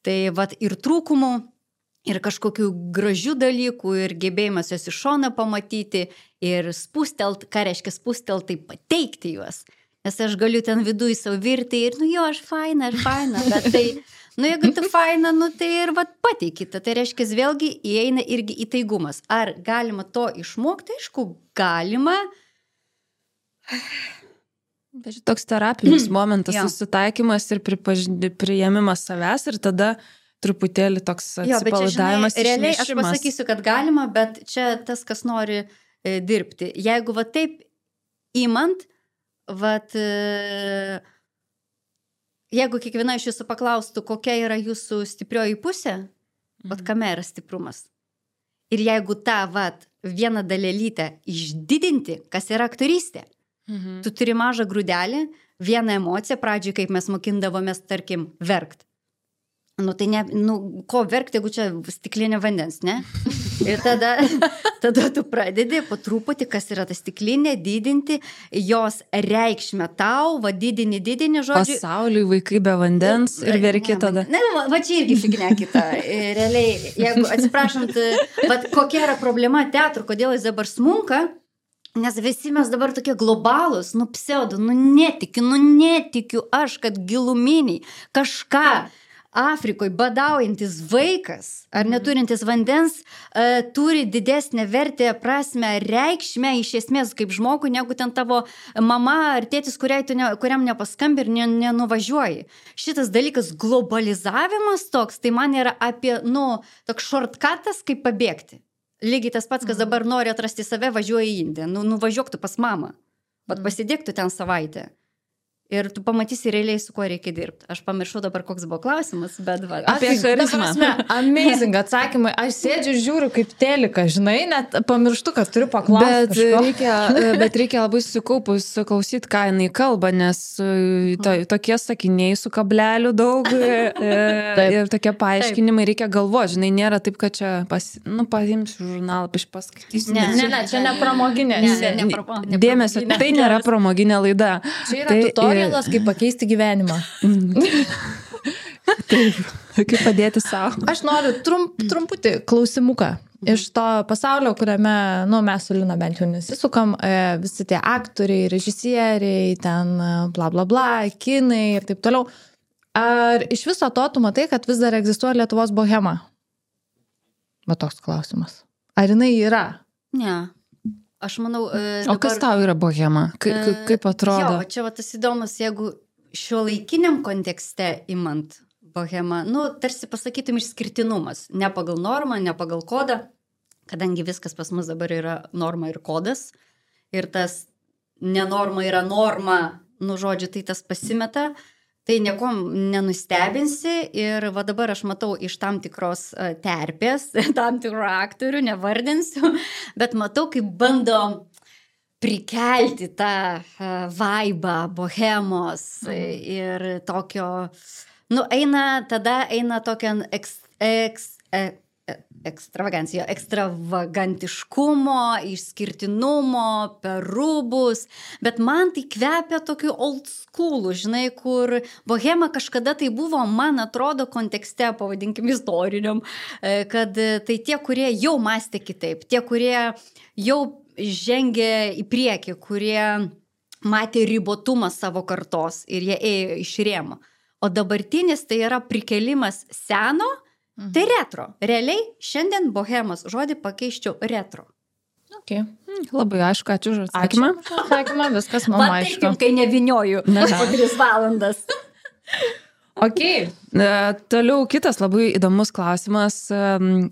Tai vat ir trūkumų, ir kažkokių gražių dalykų, ir gebėjimas jos iš šono pamatyti, ir spustelt, ką reiškia spustelt, tai pateikti juos. Nes aš galiu ten viduje savo virti ir, nu jo, aš faina, aš faina, bet tai, nu jeigu tu faina, nu tai ir vat pateikite. Tai reiškia, vėlgi įeina irgi įtaigumas. Ar galima to išmokti? Aišku, galima. Bet toks terapinis momentas, susitaikymas ir priėmimas savęs ir tada truputėlį toks atsipalaidavimas, išnešimas. Realiai aš pasakysiu, kad galima, bet čia tas, kas nori e, dirbti. Jeigu va taip įmant, va, e, jeigu kiekviena iš jūsų paklaustų, kokia yra jūsų stiprioji pusė, mhm. va, kame yra stiprumas. Ir jeigu tą, va, vieną dalelytę išdidinti, kas yra aktorystė, mhm. tu turi mažą grūdelį, vieną emociją, pradžiai, kaip mes mokindavomės, tarkim, verkt. Nu, tai ne, nu, ko verkti, jeigu čia stiklinė vandens, ne? Ir tada, tada tu pradedi po truputį, kas yra ta stiklinė, didinti jos reikšmę tau, va didini, didini, žodžiu. Pasauliui vaikai be vandens ir verki tada. Ne, va, va čia irgi fignia kita. Realiai, jeigu atsiprašant, va kokia yra problema teatro, kodėl jis dabar smunka, nes visi mes dabar tokie globalūs, nu pseudo, nu netikiu, nu netikiu aš, kad giluminiai kažką Afrikoje badaujantis vaikas ar neturintis vandens uh, turi didesnę vertę, prasme, reikšmę iš esmės kaip žmogui, negu ten tavo mama ar tėtis, tu ne, kuriam nepaskambi ir ne, nenuvažiuoji. Šitas dalykas globalizavimas toks, tai man yra apie, nu, toks shortcutas, kaip pabėgti. Lygiai tas pats, kas dabar nori atrasti save, važiuoja į Indiją. Nu, nuvažiuok tu pas mamą, bet pasidėk tu ten savaitę. Ir tu pamatysi realiai, su kuo reikia dirbti. Aš pamiršau dabar, koks buvo klausimas, bet va. Apie charizmą. Amazing atsakymai. Aš sėdžiu ir žiūriu kaip telika, žinai, net pamirštu, kad turiu paklausti. Bet reikia, bet reikia labai sukaupus klausyti, ką jinai kalba, nes to, tokie sakiniai su kableliu daug ir tokie paaiškinimai reikia galvoti. Žinai, nėra taip, kad čia pas, nu, paimsiu žurnalą, paskaitysiu. Ne, ne, ne, čia ne pramoginė. Ne, ne, ne, pro, ne Dėmesio, tai nėra pramoginė laida. Čia yra tutorialas, kaip pakeisti gyvenimą. Taip, kaip padėti savo. Aš noriu trump, trumputį klausimuką iš to pasaulio, kuriame, nu, mes su Lina bent jau nesisukam, visi tie aktoriai, režisieriai, ten bla bla bla, kinai ir taip toliau. Ar iš viso to tu matai, kad vis dar egzistuoja Lietuvos bohema? Va toks klausimas. Ar jinai yra? Ne. Aš manau... E, dabar, o kas tau yra bohema? Ka, ka, kaip atrodo? Jo, čia va tas įdomus, jeigu šiuolaikiniam kontekste imant bohema, nu, tarsi pasakytum išskirtinumas. Ne pagal normą, ne pagal kodą, kadangi viskas pas mus dabar yra norma ir kodas. Ir tas nenorma yra norma, nu, žodžiu, tai tas pasimeta. Tai niekom nenustebinsi ir va dabar aš matau iš tam tikros terpės, tam tikrų aktorių, nevardinsiu, bet matau, kaip bando prikelti tą vaibą, bohemos ir tokio, nu, eina, tada eina tokia eks, eks, e, ekstravagancija, ekstravagantiškumo, išskirtinumo, per rūbus, bet man tai kvepia tokiu old school, žinai, kur bohema kažkada tai buvo, man atrodo, kontekste, pavadinkim, istoriniam, kad tai tie, kurie jau mąstė kitaip, tie, kurie jau žengė į priekį, kurie matė ribotumą savo kartos ir jie ėjo iš rėmo. O dabartinis tai yra prikelimas seno, mhm. tai retro. Realiai šiandien bohemos žodį pakeiščiau retro. Okay. Hmm, labai aišku, ačiū už atsakymą. Ačiū už atsakymą, viskas man Va, aišku. Va taip, kai nevinioju po tris valandas. Ok. E, toliau kitas labai įdomus klausimas. E,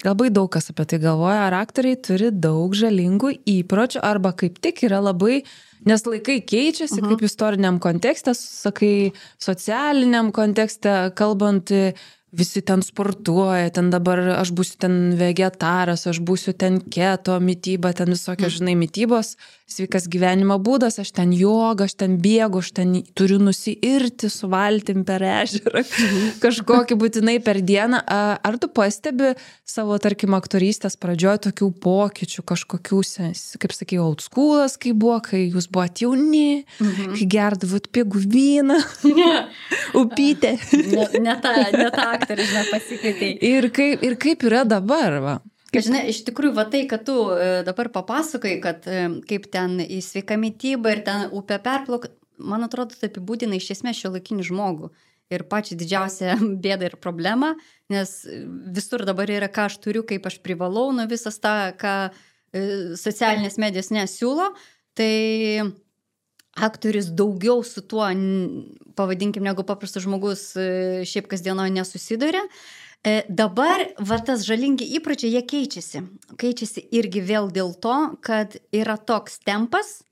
labai daug kas apie tai galvoja. Ar aktoriai turi daug žalingų įpročių arba kaip tik yra labai... Nes laikai keičiasi, uh-huh. kaip istoriniam kontekste, sakai, socialiniam kontekste, kalbant, visi ten sportuoja, ten dabar aš būsiu ten vegetaras, aš būsiu ten keto mityba, ten visokios, uh-huh. žinai, mitybos, sveikas gyvenimo būdas, aš ten joga, aš ten bėgu, aš ten turiu nusiirti su valtim per ežerą, uh-huh. kažkokį būtinai per dieną. Ar tu pastebi savo, tarkim, aktorystės pradžioje tokių pokyčių, kažkokių, kaip sakai, old schoolas, kai buvo, kai jūs buvot jauni, mhm. kai gerdavot pigų vyną, upytę. Ne, ne ta, ne ta aktorė, žinai, pasikvietei. Ir kaip, ir kaip yra dabar, va? Kaip... Žinai, iš tikrųjų, va tai, kad tu dabar papasakai, kad kaip ten į sveiką mitybą ir ten upę perplauk, man atrodo, tai apibūdina iš esmės šiuolaikinį žmogų. Ir pačią didžiausią bėdą ir problemą, nes visur dabar yra, ką aš turiu, kaip aš privalau, nu visas tą, ką socialinės medijos nesiūlo, tai aktorius daugiau su tuo, pavadinkim, negu paprastas žmogus šiaip kasdienoje nesusiduria. Dabar va tas žalingi įpročiai, jie keičiasi. Keičiasi irgi vėl dėl to, kad yra toks tempas,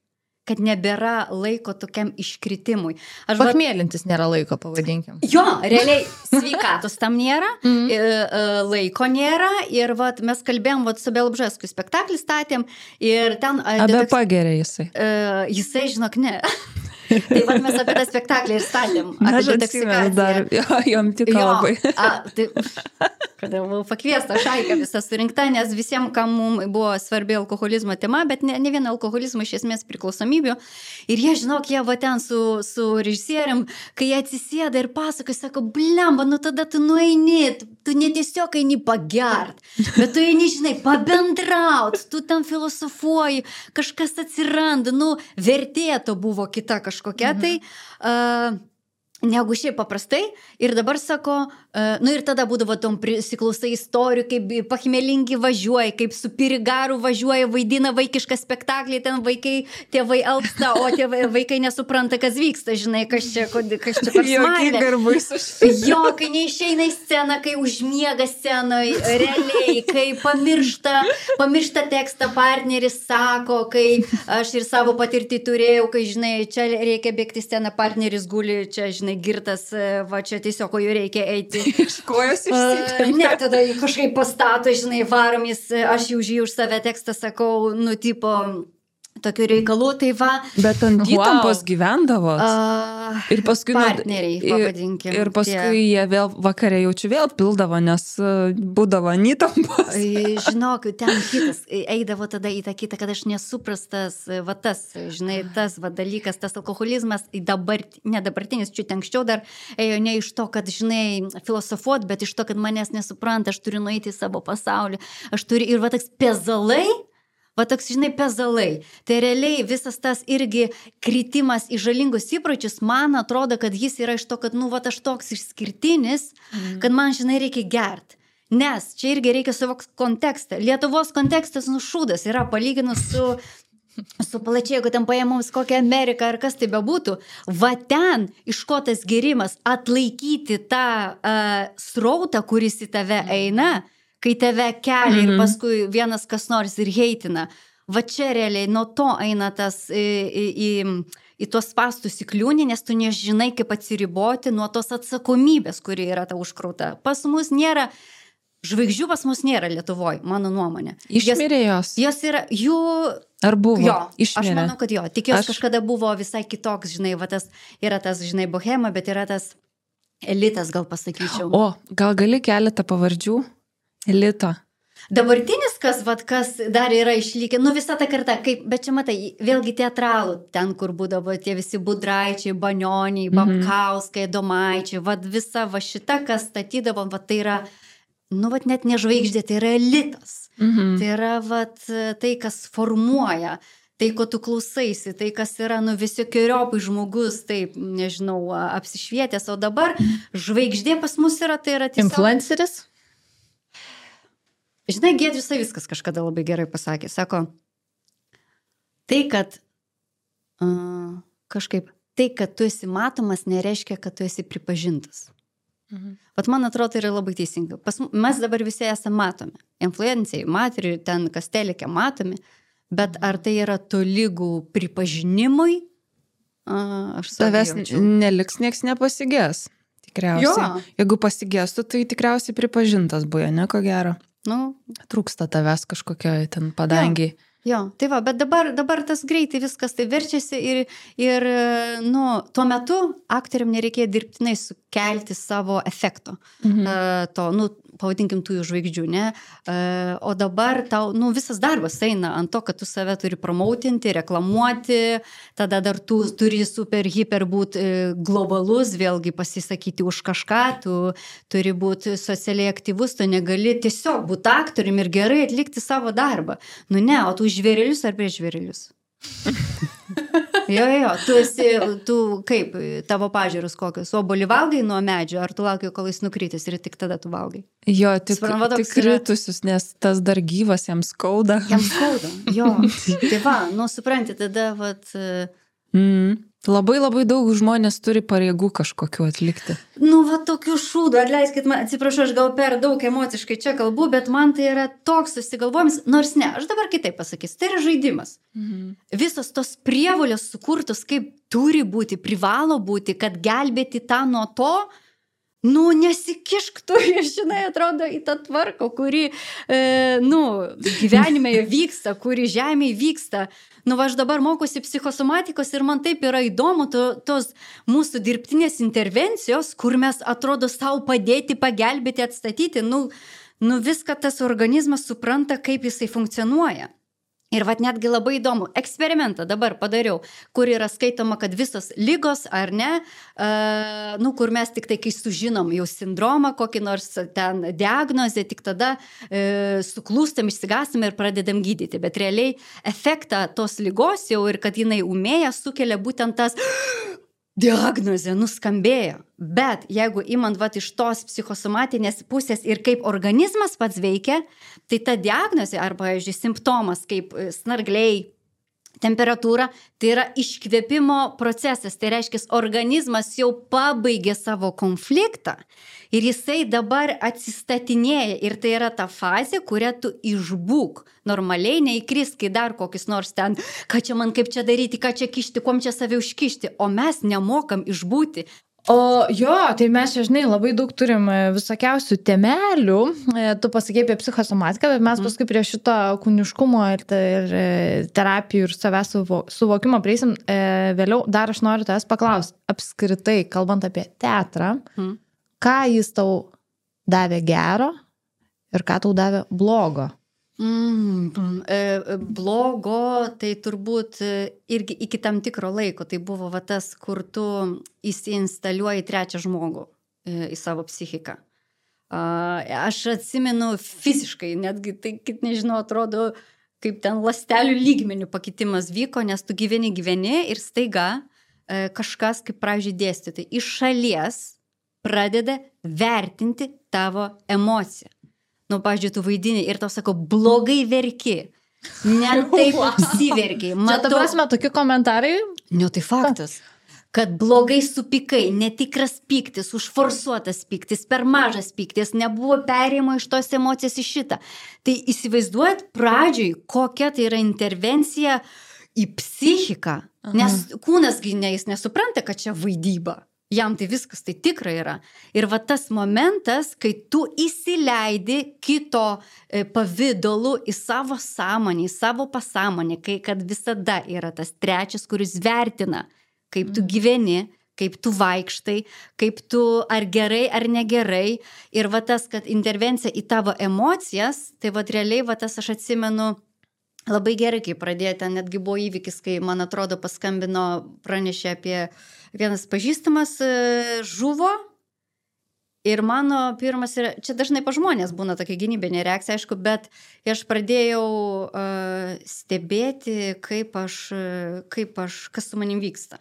kad nebėra laiko tokiam iškritimui. Aš Pachmėlintis nėra laiko, pavadinkim. Jo, realiai sveikatos tam nėra, mm. laiko nėra ir vat, mes kalbėjom vat, su Bielobžeskui spektaklį statėm ir ten... Abe pagerė jisai. Uh, jisai, žinok, ne. Tai vat mes apie tą spektaklį ir statėm. Apie detoksikaciją. Dar, jo, jom tiko jo, labai. A, tai, kada buvau pakviesta šaika visą surinkta, nes visiems, kam mums buvo svarbi alkoholizmo tema, bet ne, ne viena alkoholizmo iš esmės priklausomybių. Ir jie, žinok, jie va ten su, su režisierium, kai jie atsisėda ir pasakoja, sako, blemba, nu tada tu nueini, tu ne tiesiog eini pagert, bet tu eini, žinai, pabendraut, tu ten filosofuoji, kažkas atsiranda, nu, vertė to buvo kita kažkokia. Kokia tai, uh, negu šiaip paprastai. Ir dabar sako, uh, nu ir tada būdavo tom prisiklausai istorijų, kaip pachmelingi važiuoja, kaip su pirigaru važiuoja, vaidina vaikišką spektaklį, ten vaikai, tėvai alpsta, o tėvai, vaikai nesupranta, kas vyksta, žinai, kas čia, kas čia per smailė. Jo, kai neišeina į sceną, kai užmiega scenoje, realiai, kai pamiršta, pamiršta tekstą partneris sako, kai aš ir savo patirtį turėjau, kai, žinai, čia reikia bėgti sceną, partneris guli, čia, žinai, girtas, va čia tiesiog, ko jų reikia eiti. Iš kojos išsitempia. Ne, tada kažkaip pastato, žinai, varom jis, aš jau žyju už save tekstą, sakau, nu, tipo, tokių reikalų, tai va. Bet ant įtampos wow. gyvendavo. Uh, ir paskui... Partneriai, pavadinkim. Ir paskui tie. Jie vėl vakarė jaučiu vėl pildavo, nes būdavo ant įtampos. Žinok, ten kitas, eidavo tada į tą kitą, kad aš nesuprastas, va tas, žinai, tas va dalykas, tas alkoholizmas, dabar, ne dabartinis, čia anksčiau dar ėjo ne iš to, kad, žinai, filosofuot, bet iš to, kad manęs nesupranta, aš turiu nueiti į savo pasaulį, aš turiu ir va toks pezalai, va toks, žinai, pezalai. Tai realiai visas tas irgi kritimas į žalingus įpročius, man atrodo, kad jis yra iš to, kad, nu, va aš toks išskirtinis, mm. kad man, žinai, reikia gert. Nes čia irgi reikia suvokti kontekstą. Lietuvos kontekstas nušūdas yra palyginus su, su plačiai, jeigu ten paėmums kokią Ameriką ar kas tai bebūtų. Va ten iš ko tas gerimas atlaikyti tą uh, srautą, kuris į tave eina, kai tave kelia mm-hmm. ir paskui vienas kas nors ir heitina. Va čia realiai nuo to eina tas į, į, į, į tuos spastus įkliūnį, nes tu nežinai, kaip atsiriboti nuo tos atsakomybės, kuri yra ta užkrauta. Pas mus nėra, žvaigždžių pas mus nėra Lietuvoje, mano nuomonė. Išmirė jos? Jos yra, jų... Ar buvo? Jo, išmirė. Aš manau, kad jo. Tik jos aš... kažkada buvo visai kitoks, žinai, va tas, yra tas, žinai, bohema, bet yra tas elitas, gal pasakyčiau. O, gal gali keletą pavardžių? Elito. Dabartinis, kas, vat, kas dar yra išlikę, nu visa ta karta, kaip, bet čia matai, vėlgi teatralų, ten, kur būdavo tie visi Budraičiai, Banioniai, Babkauskai, Domaičiai, vat visa va šita, kas statydavo, vat tai yra, nu vat net ne žvaigždė, tai yra elitas. Mhm. Tai yra vat tai, kas formuoja, tai, ko tu klausaisi, tai, kas yra, nu visokeriopai žmogus, taip, nežinau, apsišvietęs, o dabar žvaigždė pas mus yra, tai yra tiesiog... Influenceris? Žinai, Giedrius Savickas kažkada labai gerai pasakė, sako, tai, kad uh, kažkaip, tai, kad tu esi matomas, nereiškia, kad tu esi pripažintas. Mhm. Vat man atrodo, tai yra labai teisinga. Pas, mes dabar visi esame matomi. Influencijai, materi, ten kas telekė matomi, bet ar tai yra tolygų pripažinimui? Uh, aš Tavęs neliks, nieks nepasigės. Tikriausiai. Jo. Jeigu pasigėstų, tai tikriausiai pripažintas buvo, ne, ko gero. Nu, Trūksta tavęs kažkokio ten padangiai. Jo, jo, tai va, bet dabar, dabar tas greitai viskas tai verčiasi ir, ir nu, tuo metu aktoriam nereikėjo dirbtinai sukelti savo efekto. Mhm. Uh, to, nu, pavadinkim tų žvaigždžių, ne? Uh, o dabar tau, nu, visas darbas eina ant to, kad tu save turi promautinti, reklamuoti, tada dar tu turi super, hiper būti globalus, vėlgi pasisakyti už kažką, tu turi būti socialiai aktyvus, tu negali tiesiog būti aktorium ir gerai atlikti savo darbą. Nu ne, o tu žvėrelius ar prieš žvėrelius? Jo, jo, tu esi, tu kaip, tavo pažiūros kokios, obuolį valgai nuo medžio, ar tu lauki, kol jis nukritis ir tik tada tu valgai? Jo, tik, Suprantu, tik kritusius, nes tas dar gyvas, jam skauda. Jam skauda, jo. Tai va, nu supranti, tada, vat... Mm. Labai labai daug žmonės turi pareigų kažkokiu atlikti. Nu, va, tokių šūdų, atleiskit, man, atsiprašau, aš gal per daug emociškai čia kalbu, bet man tai yra toks susigalvojimas, nors ne, aš dabar kitaip pasakysiu, tai yra žaidimas. Mhm. Visos tos prievolės sukurtos, kaip turi būti, privalo būti, kad gelbėti tą nuo to, nu, nesikišk tu, žinai, atrodo, į tą tvarką, kuri, e, nu, gyvenime vyksta, kuri žemėje vyksta. Nu, va, aš dabar mokusi psichosomatikos ir man taip yra įdomu to, tos mūsų dirbtinės intervencijos, kur mes atrodo savo padėti, pagelbėti, atstatyti. Nu, nu viską tas organizmas supranta, kaip jisai funkcionuoja. Ir vat netgi labai įdomu, eksperimentą dabar padariau, kur yra skaitoma, kad visos lygos ar ne, uh, nu, kur mes tik tai, kai sužinom jau sindromą, kokį nors ten diagnozę, tik tada uh, suklūstam, išsigastam ir pradedam gydyti. Bet realiai efektą tos lygos jau ir kad jinai umėja, sukelia būtent tas diagnozė nuskambėjo. Bet jeigu imant vat iš tos psichosomatinės pusės ir kaip organizmas pats veikia, tai ta diagnozė arba, pavyzdžiui, simptomas kaip snargliai, temperatūra, tai yra iškvėpimo procesas. Tai reiškia, organizmas jau pabaigė savo konfliktą ir jisai dabar atsistatinėja. Ir tai yra ta fazė, kurią tu išbūk. Normaliai neįkris, kai dar kokius nors ten, ką čia man kaip čia daryti, ką čia kišti, kom čia save užkišti. O mes nemokam išbūti. O jo, tai mes čia, žinai, labai daug turim visokiausių temelių. Tu pasakei apie psichosomatiką, bet mes paskui prie šito kūniškumo ir, ir terapijų ir savęs suvokimo prieisim. Vėliau dar aš noriu tavęs paklausti, apskritai, kalbant apie teatrą, mm. ką jis tau davė gero ir ką tau davė blogo? Mm, blogo, tai turbūt irgi iki tam tikro laiko, tai buvo va tas, kur tu įsiinstaliuoji trečią žmogų į savo psichiką. Aš atsimenu fiziškai, netgi tai, kaip nežinau, atrodo, kaip ten ląstelių lygmenių pakitimas vyko, nes tu gyveni, gyveni ir staiga kažkas, kaip pradžiai dėstyti, iš šalies pradeda vertinti tavo emociją. Nu, pavyzdžiui, tu vaidini ir tau sako, blogai verki. Ne taip apsiverkiai. Čia ta prasme, tokie komentarai? Ne, tai faktas. Kad blogai supykai, netikras pyktis, užforsuotas pyktis, per mažas pyktis, nebuvo perėjimo iš tos emocijos į šitą. Tai įsivaizduojat pradžioj, kokia tai yra intervencija į psichiką. Aha. Nes kūnas ne, jis nesupranta, kad čia vaidyba. Jam tai viskas tai tikrai yra. Ir va tas momentas, kai tu įsileidi kito pavidalu į savo sąmonę, į savo pasąmonę, kai kad visada yra tas trečias, kuris vertina, kaip tu gyveni, kaip tu vaikštai, kaip tu ar gerai, ar negerai. Ir va tas, kad intervencija į tavo emocijas, tai va realiai va tas aš atsimenu labai gerai, kai pradėjo, ten netgi buvo įvykis, kai, man atrodo, paskambino, pranešė apie vienas pažįstamas žuvo. Ir mano pirmas yra, čia dažnai pa žmonės būna tokia gynybinė reakcija, aišku, bet aš pradėjau uh, stebėti, kaip aš, kaip aš, kas su manim vyksta.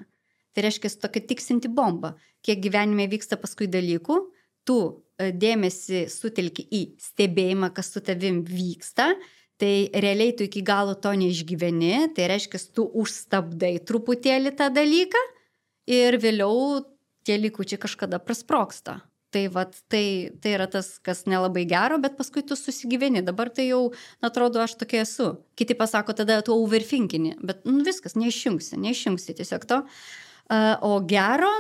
Tai reiškia, tokia tiksinti bomba, kiek gyvenime vyksta paskui dalykų, tu uh, dėmesį sutelki į stebėjimą, kas su tavim vyksta, tai realiai tu iki galo to neišgyveni, tai reiškia, tu užstabdai truputėlį tą dalyką ir vėliau tie likučiai kažkada prasprogsta. Tai, vat, tai, tai yra tas, kas nelabai gero, bet paskui tu susigyveni. Dabar tai jau, atrodo, aš tokia esu. Kiti pasako, tada tu overthinkini, bet nu, viskas, neišjungsi, neišjungsi tiesiog to. Uh, o gero...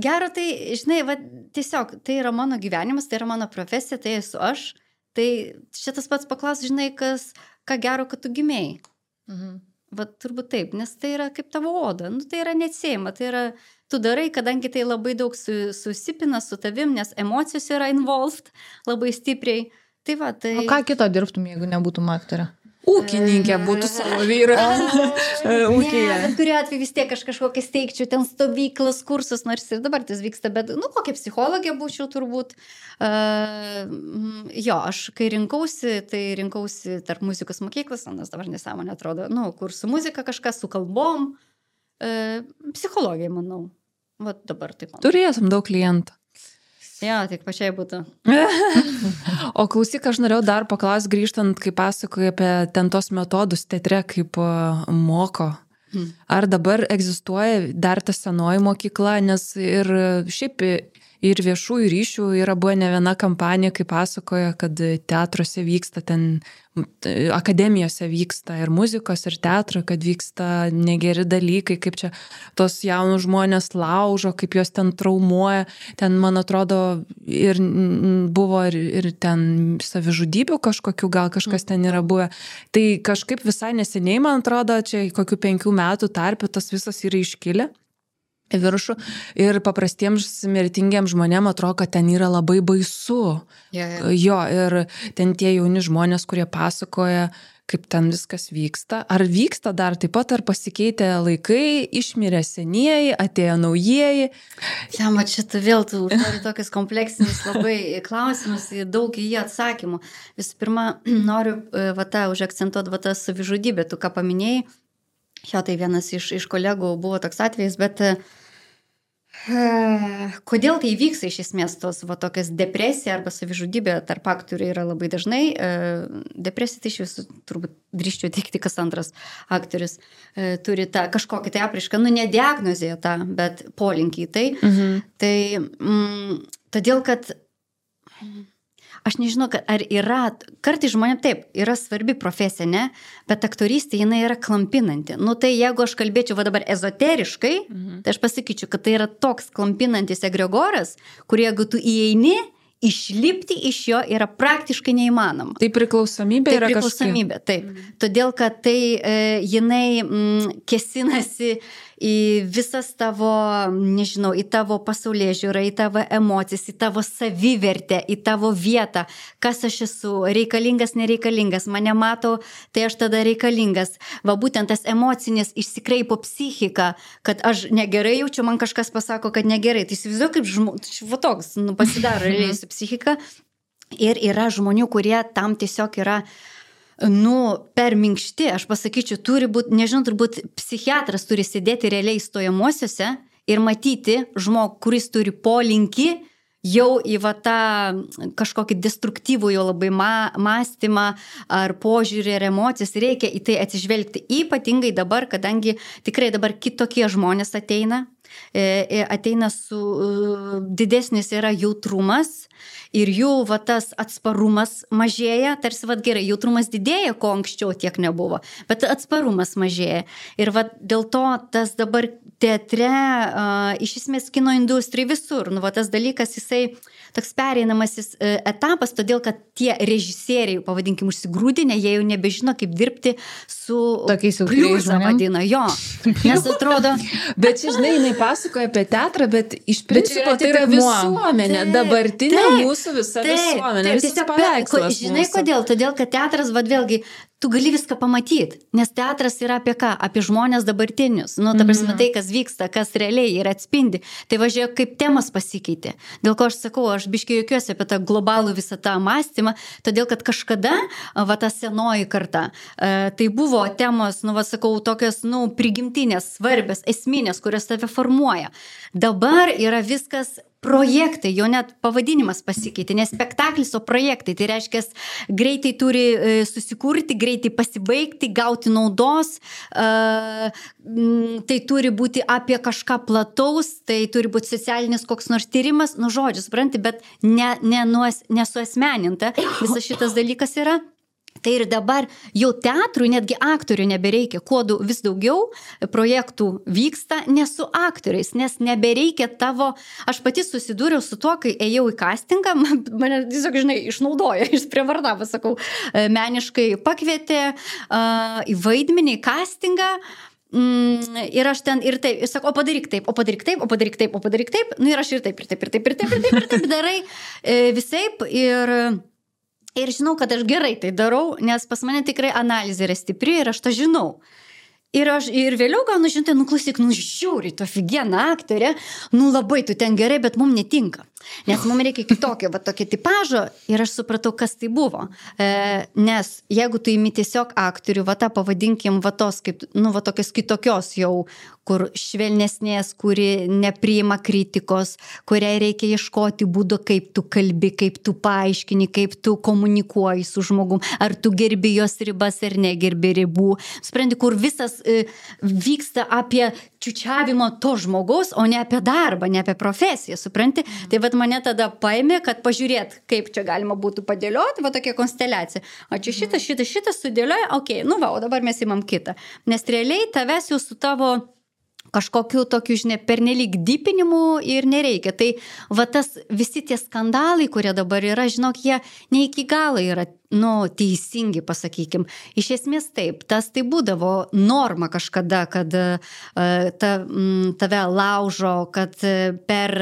gero tai, žinai, va, tiesiog, tai yra mano gyvenimas, tai yra mano profesija, tai esu aš. Tai šitas pats paklaus, žinai, kas, ką gero, kad tu gimėjai. Mhm. Va, turbūt taip, nes tai yra kaip tavo oda, nu, tai yra neatsiejama, tai yra, tu darai, kadangi tai labai daug su, susipina su tavim, nes emocijos yra involved labai stipriai. Tai va, tai... O ką kito dirbtum, jeigu nebūtum aktorė? Ūkininkė būtų savo vyrą. Ūkija. Ne, bet kuriuo atveju vis tiek aš kažkokią steigčiau, ten stovyklas, kursus, nors ir dabar tas vyksta, bet, nu, kokia psichologija būčiau turbūt. Uh, jo, aš kai rinkausi, tai rinkausi tarp muzikos mokyklos, nes dabar nesąmonė atrodo, nu, kur su muzika kažkas, su kalbom, uh, psichologija, manau. Vat dabar taip. Turėtum daug klientų. Jo, tik pačiai būtų. O klausyk, aš norėjau dar paklausti, grįžtant, kai pasakoju apie ten tos metodus teatre, kaip moko. Hmm. Ar dabar egzistuoja dar ta senoji mokykla, nes ir šiaip ir viešųjų ryšių yra buvo ne viena kampanija, kai pasakoja, kad teatruose vyksta ten, akademijose vyksta ir muzikos, ir teatro, kad vyksta negeri dalykai, kaip čia tos jaunus žmonės laužo, kaip juos ten traumuoja. Ten, man atrodo, ir buvo ir, ir ten savižudybių kažkokių, gal kažkas ten yra buvę. Tai kažkaip visai neseniai, man atrodo, čia kokių penkių metų tarpe tas visas yra iškilę į viršų ir paprastiems mirtingiems žmonėms atrodo, kad ten yra labai baisu. Yeah, yeah. Jo, ir ten tie jauni žmonės, kurie pasakoja, kaip ten viskas vyksta. Ar vyksta dar taip pat, ar pasikeitė laikai, išmirė senieji, atėjo naujieji? Ja, mat šitą vėl tu užduodi tokius kompleksinius labai klausimus, daug į jį atsakymų. Visų pirma, noriu va tą užakcentuoti va tą savižudybę, tu ką paminėjai. Jo, tai vienas iš, iš kolegų buvo toks atvejis, bet uh, kodėl tai vyksta iš esmės tos va tokias depresija arba savižudybė tarp aktorių yra labai dažnai. Uh, depresija tai iš visų, turbūt drįščiau teikti, kas antras aktorius uh, turi tą kažkokį tai apraišką, nu ne diagnozėje tą, bet polinkį į tai. Mhm. Tai mm, todėl, kad... Aš nežinau, ar yra, kartais žmonėm taip, yra svarbi profesija, ne, bet aktorystė jinai yra klampinanti. Nu tai jeigu aš kalbėčiau va dabar ezoteriškai, mhm. tai aš pasakyčiau, kad tai yra toks klampinantis egregoras, kur jeigu tu įeini, išlipti iš jo yra praktiškai neįmanoma. Tai priklausomybė tai yra kažkokia. Priklausomybė, taip. Mhm. Todėl, kad tai e, jinai mm, kesinasi į visas tavo, nežinau, į tavo pasaulėžiūrą, į tavo emocijas, į tavo savivertę, į tavo vietą, kas aš esu, reikalingas, nereikalingas, mane mato, tai aš tada reikalingas. Va būtent tas emocinis išsikreipo psichika, kad aš negerai jaučiu, man kažkas pasako, kad negerai. Tai įsivaizduoju, kaip žmogus, va toks, nu, pasidaro realiai su psichika. Ir yra žmonių, kurie tam tiesiog yra nu, per minkšti, aš pasakyčiau, turi būti, nežinau, turbūt psichiatras turi sėdėti realiai stojamuosiuose ir matyti žmogų, kuris turi polinkį jau į va tą kažkokį destruktyvų jo labai ma, mąstymą ar požiūrį ar emocijas, reikia į tai atsižvelgti. Ypatingai dabar, kadangi tikrai dabar kitokie žmonės ateina, ateina su didesnis yra jautrumas ir jų va, tas atsparumas mažėja, tarsi va, gerai, jautrumas didėja, ko anksčiau tiek nebuvo, bet atsparumas mažėja. Ir va, dėl to tas dabar teatre, uh, iš esmės kino industrijai visur, nu va, tas dalykas jisai toks pereinamasis uh, etapas, todėl kad tie režisieriai, pavadinkim, užsigrūdinę, jie jau nebežino, kaip dirbti su pliuza vadina, jo. Nes atrodo... Bet čia, žinai, jinai pasakoja apie teatrą, bet iš principo tai yra visuomenė, taip, dabartinė taip, mūsų visa taip, visuomenė, taip, visas paveikslas. Žinai mūsų. Kodėl? Todėl, kad teatras, vad vėlgi, tu gali viską pamatyti, nes teatras yra apie ką? Apie žmonės dabartinius. Nu, ta prasme, tai, kas vyksta, kas realiai ir atspindi. Tai važiuoja, kaip temas pasikeitė. Dėl ko aš sakau, aš biškai jokiuosi apie tą globalų visą tą mąstymą, todėl, kad kažkada, va, ta senoji karta, tai buvo temos, nu, va, sakau, tokios, nu, prigimtinės, svarbios, esminės, kurios tave formuoja. Dabar yra viskas projektai, jo net pavadinimas pasikeitė, ne spektaklis, o projektai. Tai reiškia, greitai turi susikurti, greitai pasibaigti, gauti naudos, tai turi būti apie kažką plataus, tai turi būti socialinis koks nors tyrimas, nu žodžiu, supranti, bet ne, ne, nesuasmeninta visas šitas dalykas yra. Tai ir dabar jau teatrui, netgi aktorių nebereikia, kuo vis daugiau projektų vyksta ne su aktoriais, nes nebereikia tavo, aš pati susidūriau su tuo, kai ėjau į castingą, mane tiesiog, žinai, išnaudoja, išprievartavo, sakau, meniškai pakvietė uh, į vaidmenį, į castingą. Mm, ir aš ten ir taip, ir sakau, o padaryk taip, o padaryk taip, o padaryk taip, o padaryk taip, nu ir aš ir taip, ir taip, ir taip, ir taip, ir taip, ir taip darai e, visaip ir... Ir žinau, kad aš gerai tai darau, nes pas mane tikrai analizė yra stipri ir aš tą žinau. Ir, aš, ir vėliau gaunu, žinai, nu klausyk, nu žiūri, tu ofigiena aktorė, nu labai tu ten gerai, bet mums netinka. Nes mums reikia kitokio, va tokio tipažo ir aš supratau, kas tai buvo. E, nes jeigu tu imi tiesiog aktorių, va tą pavadinkim, va tos, kaip, nu va tokios kitokios jau, kur švelnesnės, kuri nepriima kritikos, kuriai reikia ieškoti būdo, kaip tu kalbi, kaip tu paaiškini, kaip tu komunikuoji su žmogum, ar tu gerbi jos ribas ar negerbi ribų. Sprendi, kur visas e, vyksta apie čiučiavimo to žmogaus, o ne apie darbą, ne apie profesiją, supranti? Tai vat mane tada paėmė, kad pažiūrėt, kaip čia galima būtų padėlioti, va tokia konsteliacija. O čia šitas, šitas, šitas sudėlioja, okei, okay, nu va, o dabar mes imam kitą. Nes realiai tavęs jau su tavo kažkokiu tokiu, žinai, pernelyg dypinimu ir nereikia. Tai va tas visi tie skandalai, kurie dabar yra, žinok, jie ne iki galo yra, nu, teisingi, pasakykim. Iš esmės taip, tas tai būdavo norma kažkada, kad uh, ta, m, tave laužo, kad per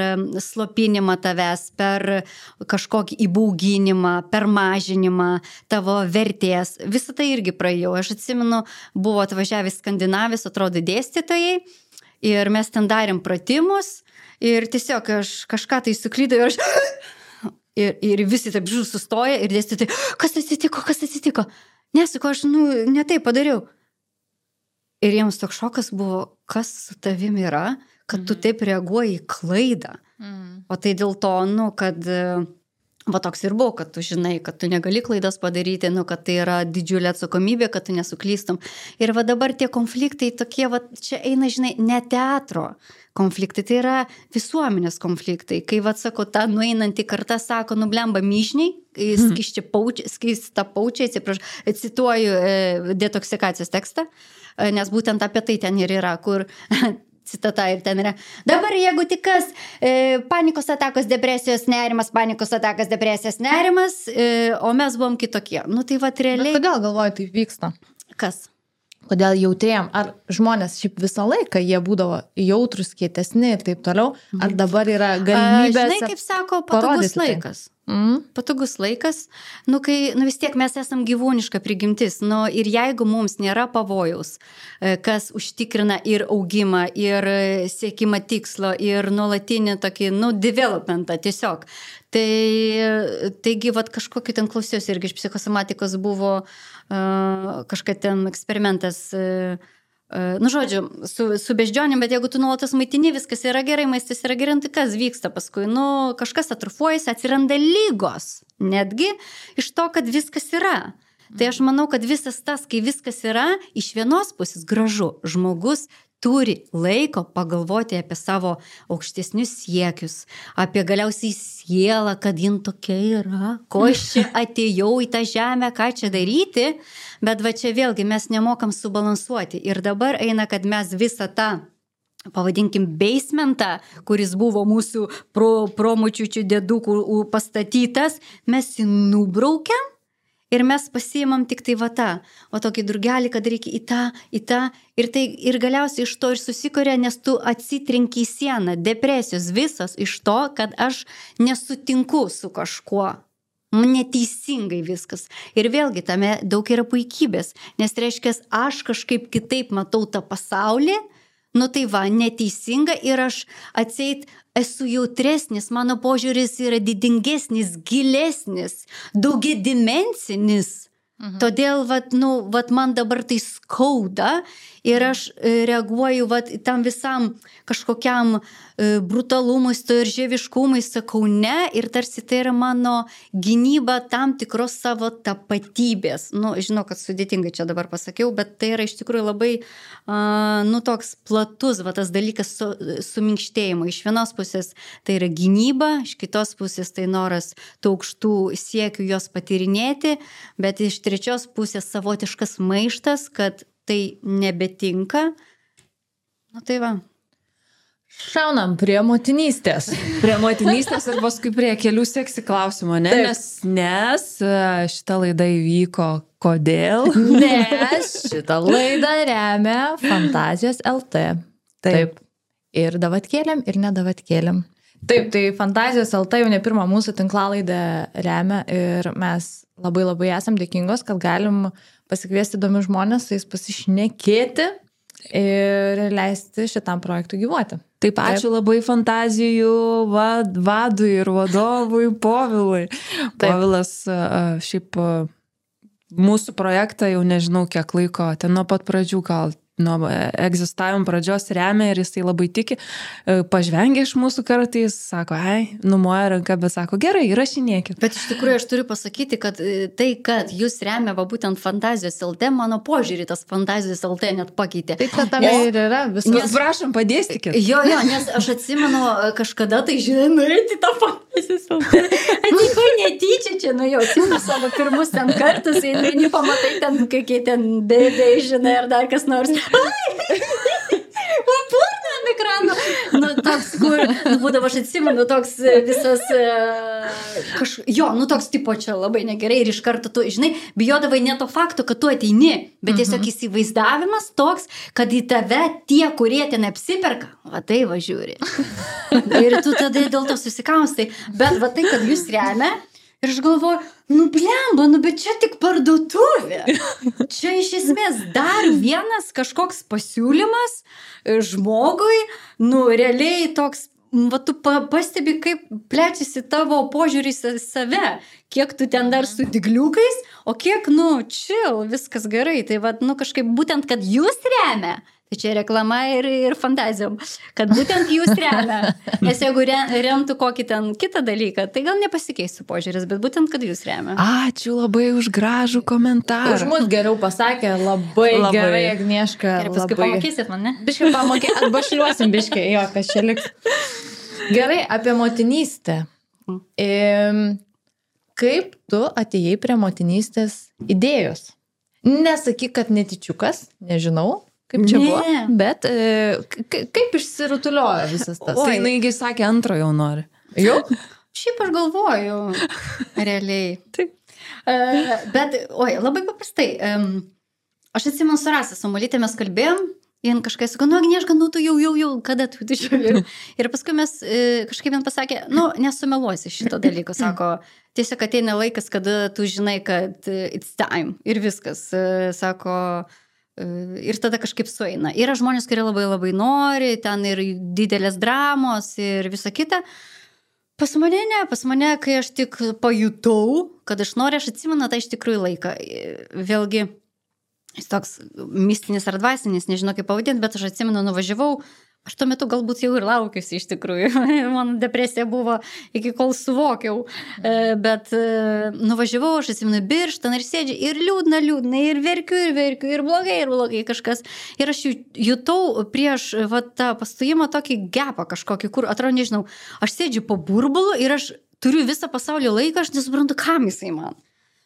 slopinimą tavęs, per kažkokį įbauginimą, per mažinimą tavo vertės. Visą tai irgi praėjau. Aš atsimenu, buvo atvažiavę Skandinavijos, atrodo, dėstytojai. Ir mes ten darėm pratimus ir tiesiog aš kažką tai suklydau ir aš... Ir, ir visi taip žiūrų sustoja ir dėstytojai, kas atsitiko, kas atsitiko? Nesako, aš, nu, ne taip padariau. Ir jiems toks šokas buvo, kas su tavim yra, kad tu taip reaguoji į klaidą. Mm. O tai dėl to, nu, kad... Va toks ir buvo, kad tu žinai, kad tu negali klaidas padaryti, nu, kad tai yra didžiulė atsakomybė, kad tu nesuklystum. Ir va dabar tie konfliktai tokie, va čia eina, žinai, ne teatro konfliktai, tai yra visuomenės konfliktai. Kai, va, sako, ta nueinanti karta sako, nublemba myžniai, skista paučiai, atsiprašau, cituoju e, detoksikacijos tekstą, e, nes būtent apie tai ten ir yra, kur... Citata ir ten yra. Dabar jeigu tik kas, e, panikos atakos, depresijos, nerimas, panikos atakos, depresijos, nerimas, e, o mes buvom kitokie. Nu tai va realiai. Bet kodėl galvoju, taip vyksta? Kas? Kodėl jautrėjom? Ar žmonės šiaip visą laiką jie būdavo jautrus, kietesni ir taip toliau? Ar dabar yra galimybė? Žinai, kaip sako, patogus laikas. Mm. Patogus laikas, nu, kai, nu, vis tiek mes esam gyvūniška prigimtis, nu, ir jeigu mums nėra pavojaus, kas užtikrina ir augimą, ir siekimą tikslo, ir nuolatinį tokį, nu, developmentą tiesiog, tai, taigi, vat, kažkokį ten klausiausi irgi iš psichosomatikos buvo uh, kažkai ten eksperimentas, uh, nu, žodžiu, su, su beždžionėm, bet jeigu tu nuolatos maitini, viskas yra gerai, maistas yra gerai, tai kas vyksta paskui? Nu, kažkas atrofuojasi, atsiranda lygos, netgi iš to, kad viskas yra. Tai aš manau, kad visas tas, kai viskas yra, iš vienos pusės gražu, žmogus turi laiko pagalvoti apie savo aukštesnius siekius, apie galiausiai sielą, kad jin tokia yra, ko aš čia atėjau į tą žemę, ką čia daryti, bet va čia vėlgi mes nemokam subalansuoti. Ir dabar eina, kad mes visą tą, pavadinkim, basementą, kuris buvo mūsų pro, promočiučių dėdukų pastatytas, mes jį nubraukiam. Ir mes pasiimam tik tai va tą, o tokį drugelį, kad reikia į tą, į tą. Ir, tai, ir galiausiai iš to ir susikuria, nes tu atsitrenki į sieną. Depresijos visas iš to, kad aš nesutinku su kažkuo. Neteisingai viskas. Ir vėlgi tame daug yra puikybės. Nes reiškia, aš kažkaip kitaip matau tą pasaulį. Nu tai va, neteisinga ir aš atseit esu jautresnis, mano požiūris yra didingesnis, gilesnis, daugiadimensinis. Mhm. Todėl, vat, nu, vat man dabar tai skauda ir aš reaguoju vat, tam visam kažkokiam e, brutalumui, storžieviškumui, sakau ne, ir tarsi tai yra mano gynyba tam tikros savo tapatybės. Nu, žinau, kad sudėtingai čia dabar pasakiau, bet tai yra iš tikrųjų labai, a, nu, toks platus, va, tas dalykas su, suminkštėjimo. Iš vienos pusės tai yra gynyba, iš kitos pusės tai noras tų aukštų siekių jos patyrinėti, bet iš trečios pusės savotiškas maištas, kad tai nebetinka. Nu tai va. Šaunam prie motinystės. Prie motinystės ir paskui prie kelių seksi klausimų, ne? Nes, nes šita laida įvyko kodėl? Nes šitą laidą remia Fantazijos L T. Taip. Taip. Ir davatkėlėm, ir nedavatkėlėm. Taip, tai Fantazijos L T jau ne pirmą mūsų tinklalaidę remia ir mes labai labai esam dėkingos, kad galim pasikviesti įdomius žmonės, su jais pasišnekėti ir leisti šitam projektui gyvuoti. Taip, ačiū Taip. Labai Fantazijų vad, vadui ir vadovui Povilui. Taip. Povilas šiaip mūsų projektą jau nežinau kiek laiko, ten nuo pat pradžių gal nuo egzistavimo pradžios remia ir jisai labai tiki, pažvengia iš mūsų kartais, sako, ai, numoja ranką, bet sako, gerai, įrašinėkit. Bet iš tikrųjų aš turiu pasakyti, kad tai, kad jūs remia va būtent Fantazijos L T, mano požiūrį tas Fantazijos L T net pakeitė. Tai kad tame ir yra viskas. Nes, prašom, padėstikit. Jo, jo, nes aš atsimenu kažkada tai, žinai, nuėti tą Fantazijos L T. Atiko netyčia čia, nu jau, atsimenu savo pirmus ten kartus, ir vieni pamatai ten, kokie ten bėdai, žinai, ar dar kas nors. Purna ant ekrano. Nu, toks, kur, nu, būdavo, aš atsimenu, toks visas, kaž, jo, nu, toks tipo čia labai negerai ir iš karto tu, žinai, bijodavai ne to fakto, kad tu ateini, bet tiesiog įsivaizdavimas toks, kad į tave tie, kurie ten apsiperka, va tai važiuori. Ir tu tada dėl to susikaustai. Bet va tai, kad jūs remia, ir aš galvoju, nu blemba, nu bet čia tik parduotuvė. Čia iš esmės dar vienas kažkoks pasiūlymas žmogui, nu realiai toks, va tu pastebi, kaip plečiasi tavo požiūris į save, kiek tu ten dar su digliukais, o kiek, nu, chill, viskas gerai. Tai va, nu kažkaip būtent, kad jūs remia. Tai čia reklama ir, ir fantazijom, kad būtent jūs remia. Nes jeigu re, remtų kokį ten kitą dalyką, tai gal nepasikeistų požiūris, bet būtent, kad jūs remia. Ačiū labai už gražų komentarą. Už mus geriau pasakė, labai, labai. Gerai, Agnieška. Ir paskui labai. Pamokysit man, ne? Biškai pamokė, arba šliuosim biškai, jo, kas čia liks. Gerai, apie motinystę. E, kaip tu atėjai prie motinystės idėjos? Nesakyk, kad netyčiukas, nežinau. Kaip čia ne. Buvo, bet e, kaip išsirutuliojo visas tas? O, jinai sakė, antro jau nori. Jau? Šiaip aš galvoju, realiai. Taip. Uh, bet, oi, labai paprastai. Um, aš atsimenu su Rasa, su Molytė mes kalbėjom, jin kažkai sako, nu, Agnieška, nu, tu jau, jau, jau, kada tu tu žiūrėjau. Ir paskui mes e, kažkaip man pasakė, nu, nesumeluosi šito dalyko, sako, tiesiog ateina laikas, kada tu žinai, kad it's time ir viskas, e, sako, ir tada kažkaip sueina. Yra žmonės, kurie labai labai nori, ten ir didelės dramos ir visa kita. Pas mane ne, pas mane, kai aš tik pajutau, kad aš noriu, aš atsimenu tą iš tikrųjų laiką. Vėlgi, jis toks mistinis ar dvasinis, nežinau kaip pavadinti, bet aš atsimenu, nuvažiavau Aš tuo metu galbūt jau ir laukiusi iš tikrųjų. Mano depresija buvo iki kol suvokiau. Bet nuvažiavau, aš atsimenu Birštoną ir sėdžiu ir liūdna, liūdna, ir verkiu, ir verkiu, ir blogai, ir blogai kažkas. Ir aš jutau prieš va, tą pastojimą tokį gepą kažkokį, kur atrodo, nežinau, aš sėdžiu po burbulu ir aš turiu visą pasaulio laiką, aš nesuprantu, kam jisai man.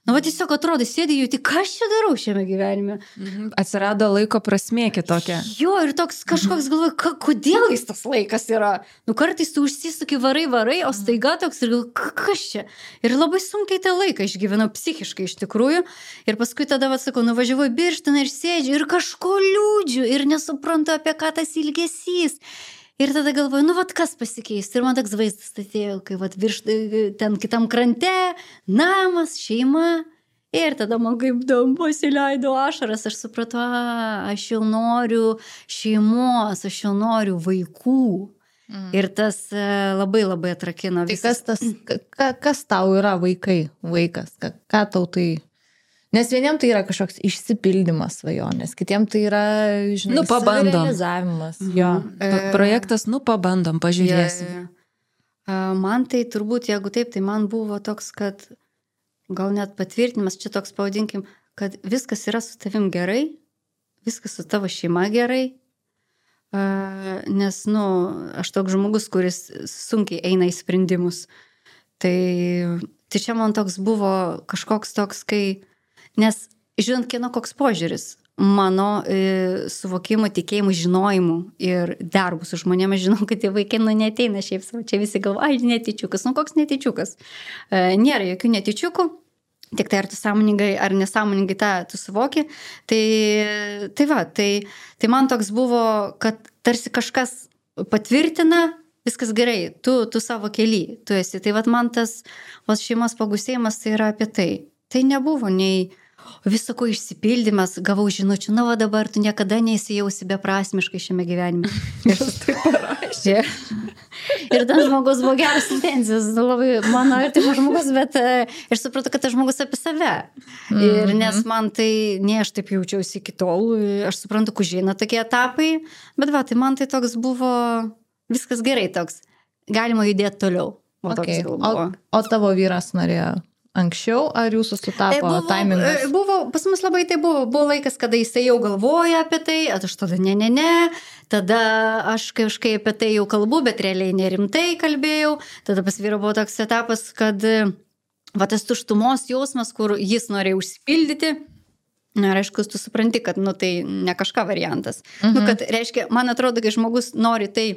Nu, va tiesiog atrodo, sėdėjau, tai ką aš čia darau šiame gyvenime? Mhm. Atsirado laiko prasmė kitokia. Jo, ir toks kažkoks galvoju, ka, kodėl jis tas laikas yra? Nu, kartais tu užsisuki varai, varai, o staiga toks ir galvoju, kas čia? Ir labai sunkiai tą laiką išgyvenau psichiškai iš tikrųjų. Ir paskui tada, va, sakau, nuvažiavau į Birštoną ir sėdžiu ir kažko liūdžiu ir nesuprantu, apie ką tas ilgesys. Ir tada galvoju, nu, vat kas pasikeis. Ir man toks vaizdas atėjo, kai vat virš ten kitam krante, namas, šeima. Ir tada man kaip dam pasileido ašaras. Aš supratau, a, aš jau noriu šeimos, aš jau noriu vaikų. Mm. Ir tas labai labai atrakino. Tai kas, tas, ka, kas tau yra vaikai, vaikas? Ka, ką tau tai... Nes vieniem tai yra kažkoks išsipildymas svajonės, kitiem tai yra, žinai, nu, pabandom. Savirealizavimas. Jo. E, Projektas, nu, pabandom, pažiūrėsim. Ja, ja. Man tai turbūt, jeigu taip, tai man buvo toks, kad gal net patvirtinimas, čia toks pavadinkim, kad viskas yra su tavim gerai, viskas su tavo šeima gerai, nes, nu, aš toks žmogus, kuris sunkiai eina į sprendimus. Tai, tai čia man toks buvo kažkoks toks, kai nes, žinant, kieno koks požiūris, mano e, suvokimo, tikėjimų, žinojimų ir darbų su žmonėmis, žinau, kad tie vaikai, nu, neteina šiaip savo, čia visi galvo, ai, netyčiukas, nu, koks netyčiukas. E, nėra jokių netyčiukų, tik tai ar tu sąmoningai, ar nesąmoningai tą tu suvoki. Tai, tai va, tai, tai man toks buvo, kad tarsi kažkas patvirtina, viskas gerai, tu, tu savo kely, tu esi. Tai va, man tas va, šeimos pagusėjimas tai yra apie tai. Tai nebuvo nei visako išsipildymas, gavau žinučių, na va dabar tu niekada neįsijausi beprasmiškai šiame gyvenime. Ir tai parašė. Ir tas žmogus buvo geras intensijos, labai mano artimas žmogus, bet aš supratau, kad tas žmogus apie save. Ir nes man tai, ne aš taip jaučiausi iki tol, aš suprantu, kužina tokie etapai, bet va, tai man tai toks buvo, viskas gerai toks, galima judėti toliau. O, okay. o, o tavo vyras norėjo anksčiau, ar jūsų sutapo buvo, taimingas? Buvo, pas mus labai tai buvo, buvo laikas, kada jisai jau galvoja apie tai, aš tada ne, ne, ne, tada aš kažkaip apie tai jau kalbu, bet realiai nerimtai kalbėjau, tada pas vyrą buvo toks etapas, kad va tas tuštumos jausmas, kur jis norėjo užsipildyti, na, reiškia, tu supranti, kad, nu, tai ne kažką variantas. Mhm. Nu, kad, reiškia, man atrodo, kai žmogus nori tai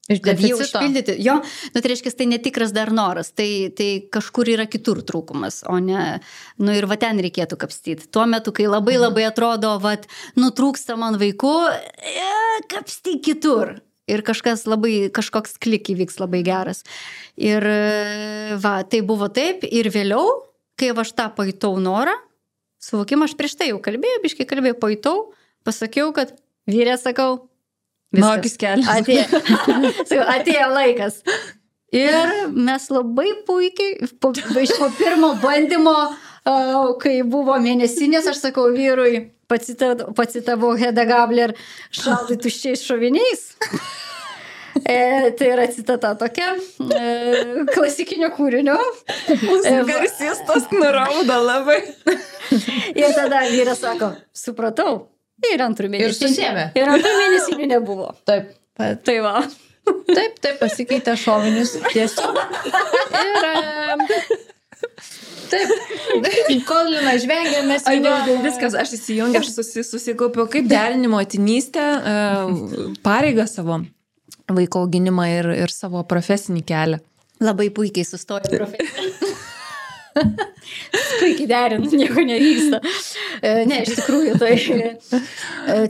kad jį užpildyti, jo, nu, tai reiškia, tai netikras dar noras, tai, tai kažkur yra kitur trūkumas, o ne, nu ir va ten reikėtų kapstyti. Tuo metu, kai labai labai atrodo, va, nu, trūksta man vaikų, e, kapstyk kitur. Ir kažkas labai, kažkoks klik įvyks labai geras. Ir va, tai buvo taip, ir vėliau, kai aš tą pajutau norą, suvokimą, aš prieš tai jau kalbėjau, biškai kalbėjau, pajutau, pasakiau, kad vyrė, sakau, Nokis kelias. Atėjo, atėjo laikas. Ir mes labai puikiai, po, po pirmo bandymo, kai buvo mėnesinės, aš sakau vyrui, pacitavau Hedda Gabler, šaldai tuščiais šoviniais. E, tai yra citata tokia, e, klasikinio kūrinio. Garsistas nurauda labai. Ir tada vyras sako, supratau. Ir antrų mėnesinių. Ir antrų mėnesinių nebuvo. Taip. Tai va. Taip, taip, pasikeitė šovinius tiesiog. Ir... Taip. Kol Lina žvengia, mes jau... Viskas, aš įsijungiu, aš susi, susikaupiau kaip derinimo atinystę, pareigą savo vaiko auginimą ir, ir savo profesinį kelią. Labai puikiai sustojo profesinį. Puikiai derint, nieko nevyksta. Ne, iš tikrųjų, tai...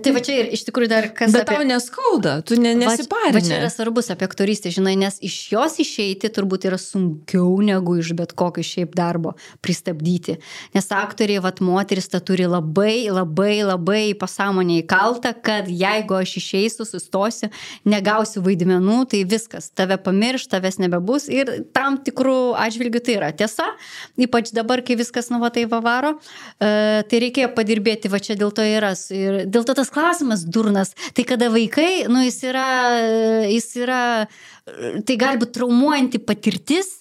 Tai va čia ir iš tikrųjų dar kas... Bet apie... tau neskauda, tu ne, nesiparinė. Va čia yra svarbus apie aktorystę, žinai, nes iš jos išeiti turbūt yra sunkiau negu iš bet kokio šiaip darbo pristabdyti. Nes aktoriai, vat moteris, ta turi labai, labai, labai pasąmonę įkaltą, kad jeigu aš išeisiu, sustosiu, negausiu vaidmenų, tai viskas, tave pamirš, tavęs nebebus ir tam tikrų atžvilgių tai yra tiesa. Ypač dabar dabar, kai viskas nu va tai vavaro, tai reikėjo padirbėti, va čia dėl to yra. Ir dėl to tas klausimas durnas, tai kada vaikai, nu jis yra, jis yra, tai gali būti traumuojanti patirtis,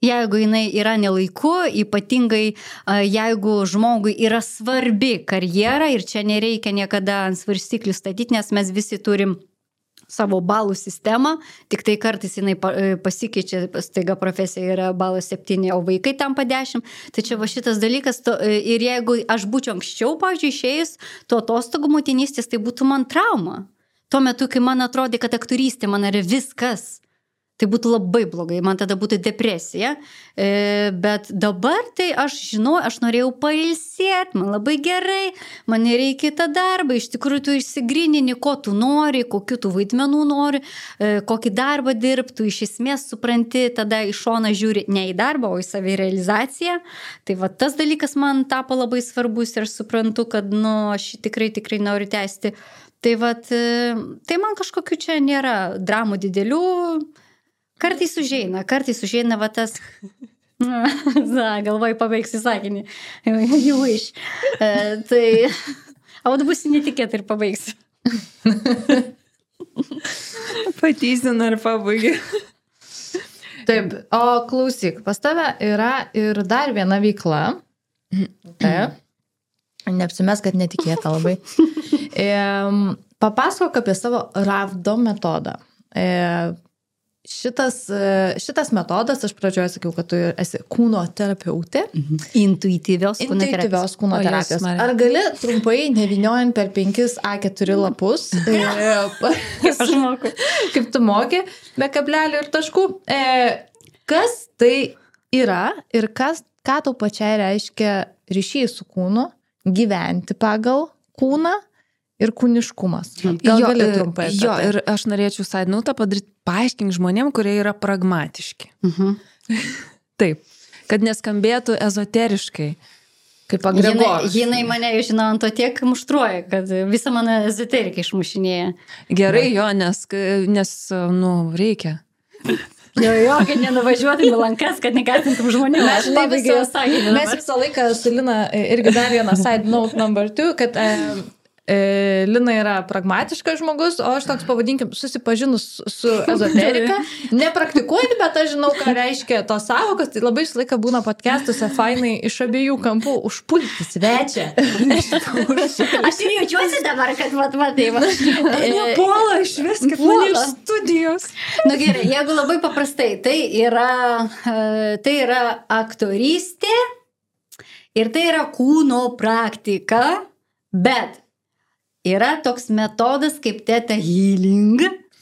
jeigu jinai yra nelaiku, ypatingai jeigu žmogui yra svarbi karjera ir čia nereikia niekada ant svarstyklių statyti, nes mes visi turim savo balų sistemą, tik tai kartais jinai pasikeičia, staiga profesija yra balas septyni, o vaikai tampa dešimt. Tai čia va šitas dalykas, to, ir jeigu aš būčiau anksčiau, pavyzdžiui, išėjus to atostogų motinystės, tai būtų man trauma. Tuo metu, kai man atrodė, kad aktorystė man yra viskas, tai būtų labai blogai, man tada būtų depresija, e, bet dabar tai aš žinau, aš norėjau pailsėti, man labai gerai, man nereikia tą darbą, iš tikrųjų tu išsigrinini, ko tu nori, kokiu tu vaidmenų nori, e, kokį darbą dirbtų, iš esmės supranti, tada iš šono žiūri ne į darbą, o į savirealizaciją, tai va tas dalykas man tapo labai svarbus ir suprantu, kad nu, aš tikrai, tikrai noriu tęsti. Tai va, tai man kažkokiu čia nėra dramų didelių. Kartais užeina, kartais užeina va tas, na, galvoj pabaigsi sakinį, you wish. E, tai, o tu būsi netikėtai ir pabaigsi. Patysina ir pabaigia. Taip, o klausyk, pas tave yra ir dar viena veikla. Taip, neapsimes, kad netikėta labai. E, papasakok apie savo ravdo metodą. E, Šitas, šitas metodas, aš pradžioje sakiau, kad tu esi kūno terapeutė. Intuityvios kūno terapijos. Intuityvios kūno terapijos. Ar gali trumpai, nevyniojant per penkis A keturi lapus, kaip aš moku, kaip tu moki, be kablelių ir taškų, kas tai yra ir kas, ką tau pačiai reiškia ryšys su kūnu, gyventi pagal kūną ir kūniškumas. Gal jo, gali trumpai. Jo, tai. Ir aš norėčiau side note padaryti, paaiškink žmonėm, kurie yra pragmatiški. Uh-huh. Taip, kad neskambėtų ezoteriškai, kaip agregoras. Jinai, jinai mane, žinau, ant to tiek muštruoja, kad visą mano ezoteriką išmušinėja. Gerai, jo, nes, nes nu, reikia. Jo, jo, kad nenuvažiuotum į lankas, kad nekaltintum žmonių. Mes, visą, mes visą laiką su Lina irgi dar vieną side note number two, kad e, e, Lina yra pragmatiškas žmogus, o aš toks, pavadinkim, susipažinus su ezoterika, nepraktikuoti, bet aš žinau, ką reiškia tos sąvokos, tai labai visą laiką būna podcastuose fainai iš abiejų kampų užpulti svečią. Aš ir jaučiuosi dabar, kad vat, vat, tai va. Puola iš vis, kaip mane iš studijos. Nu gerai, jeigu labai paprastai, tai yra, tai yra aktorystė ir tai yra kūno praktika, bet yra toks metodas kaip Theta Healing,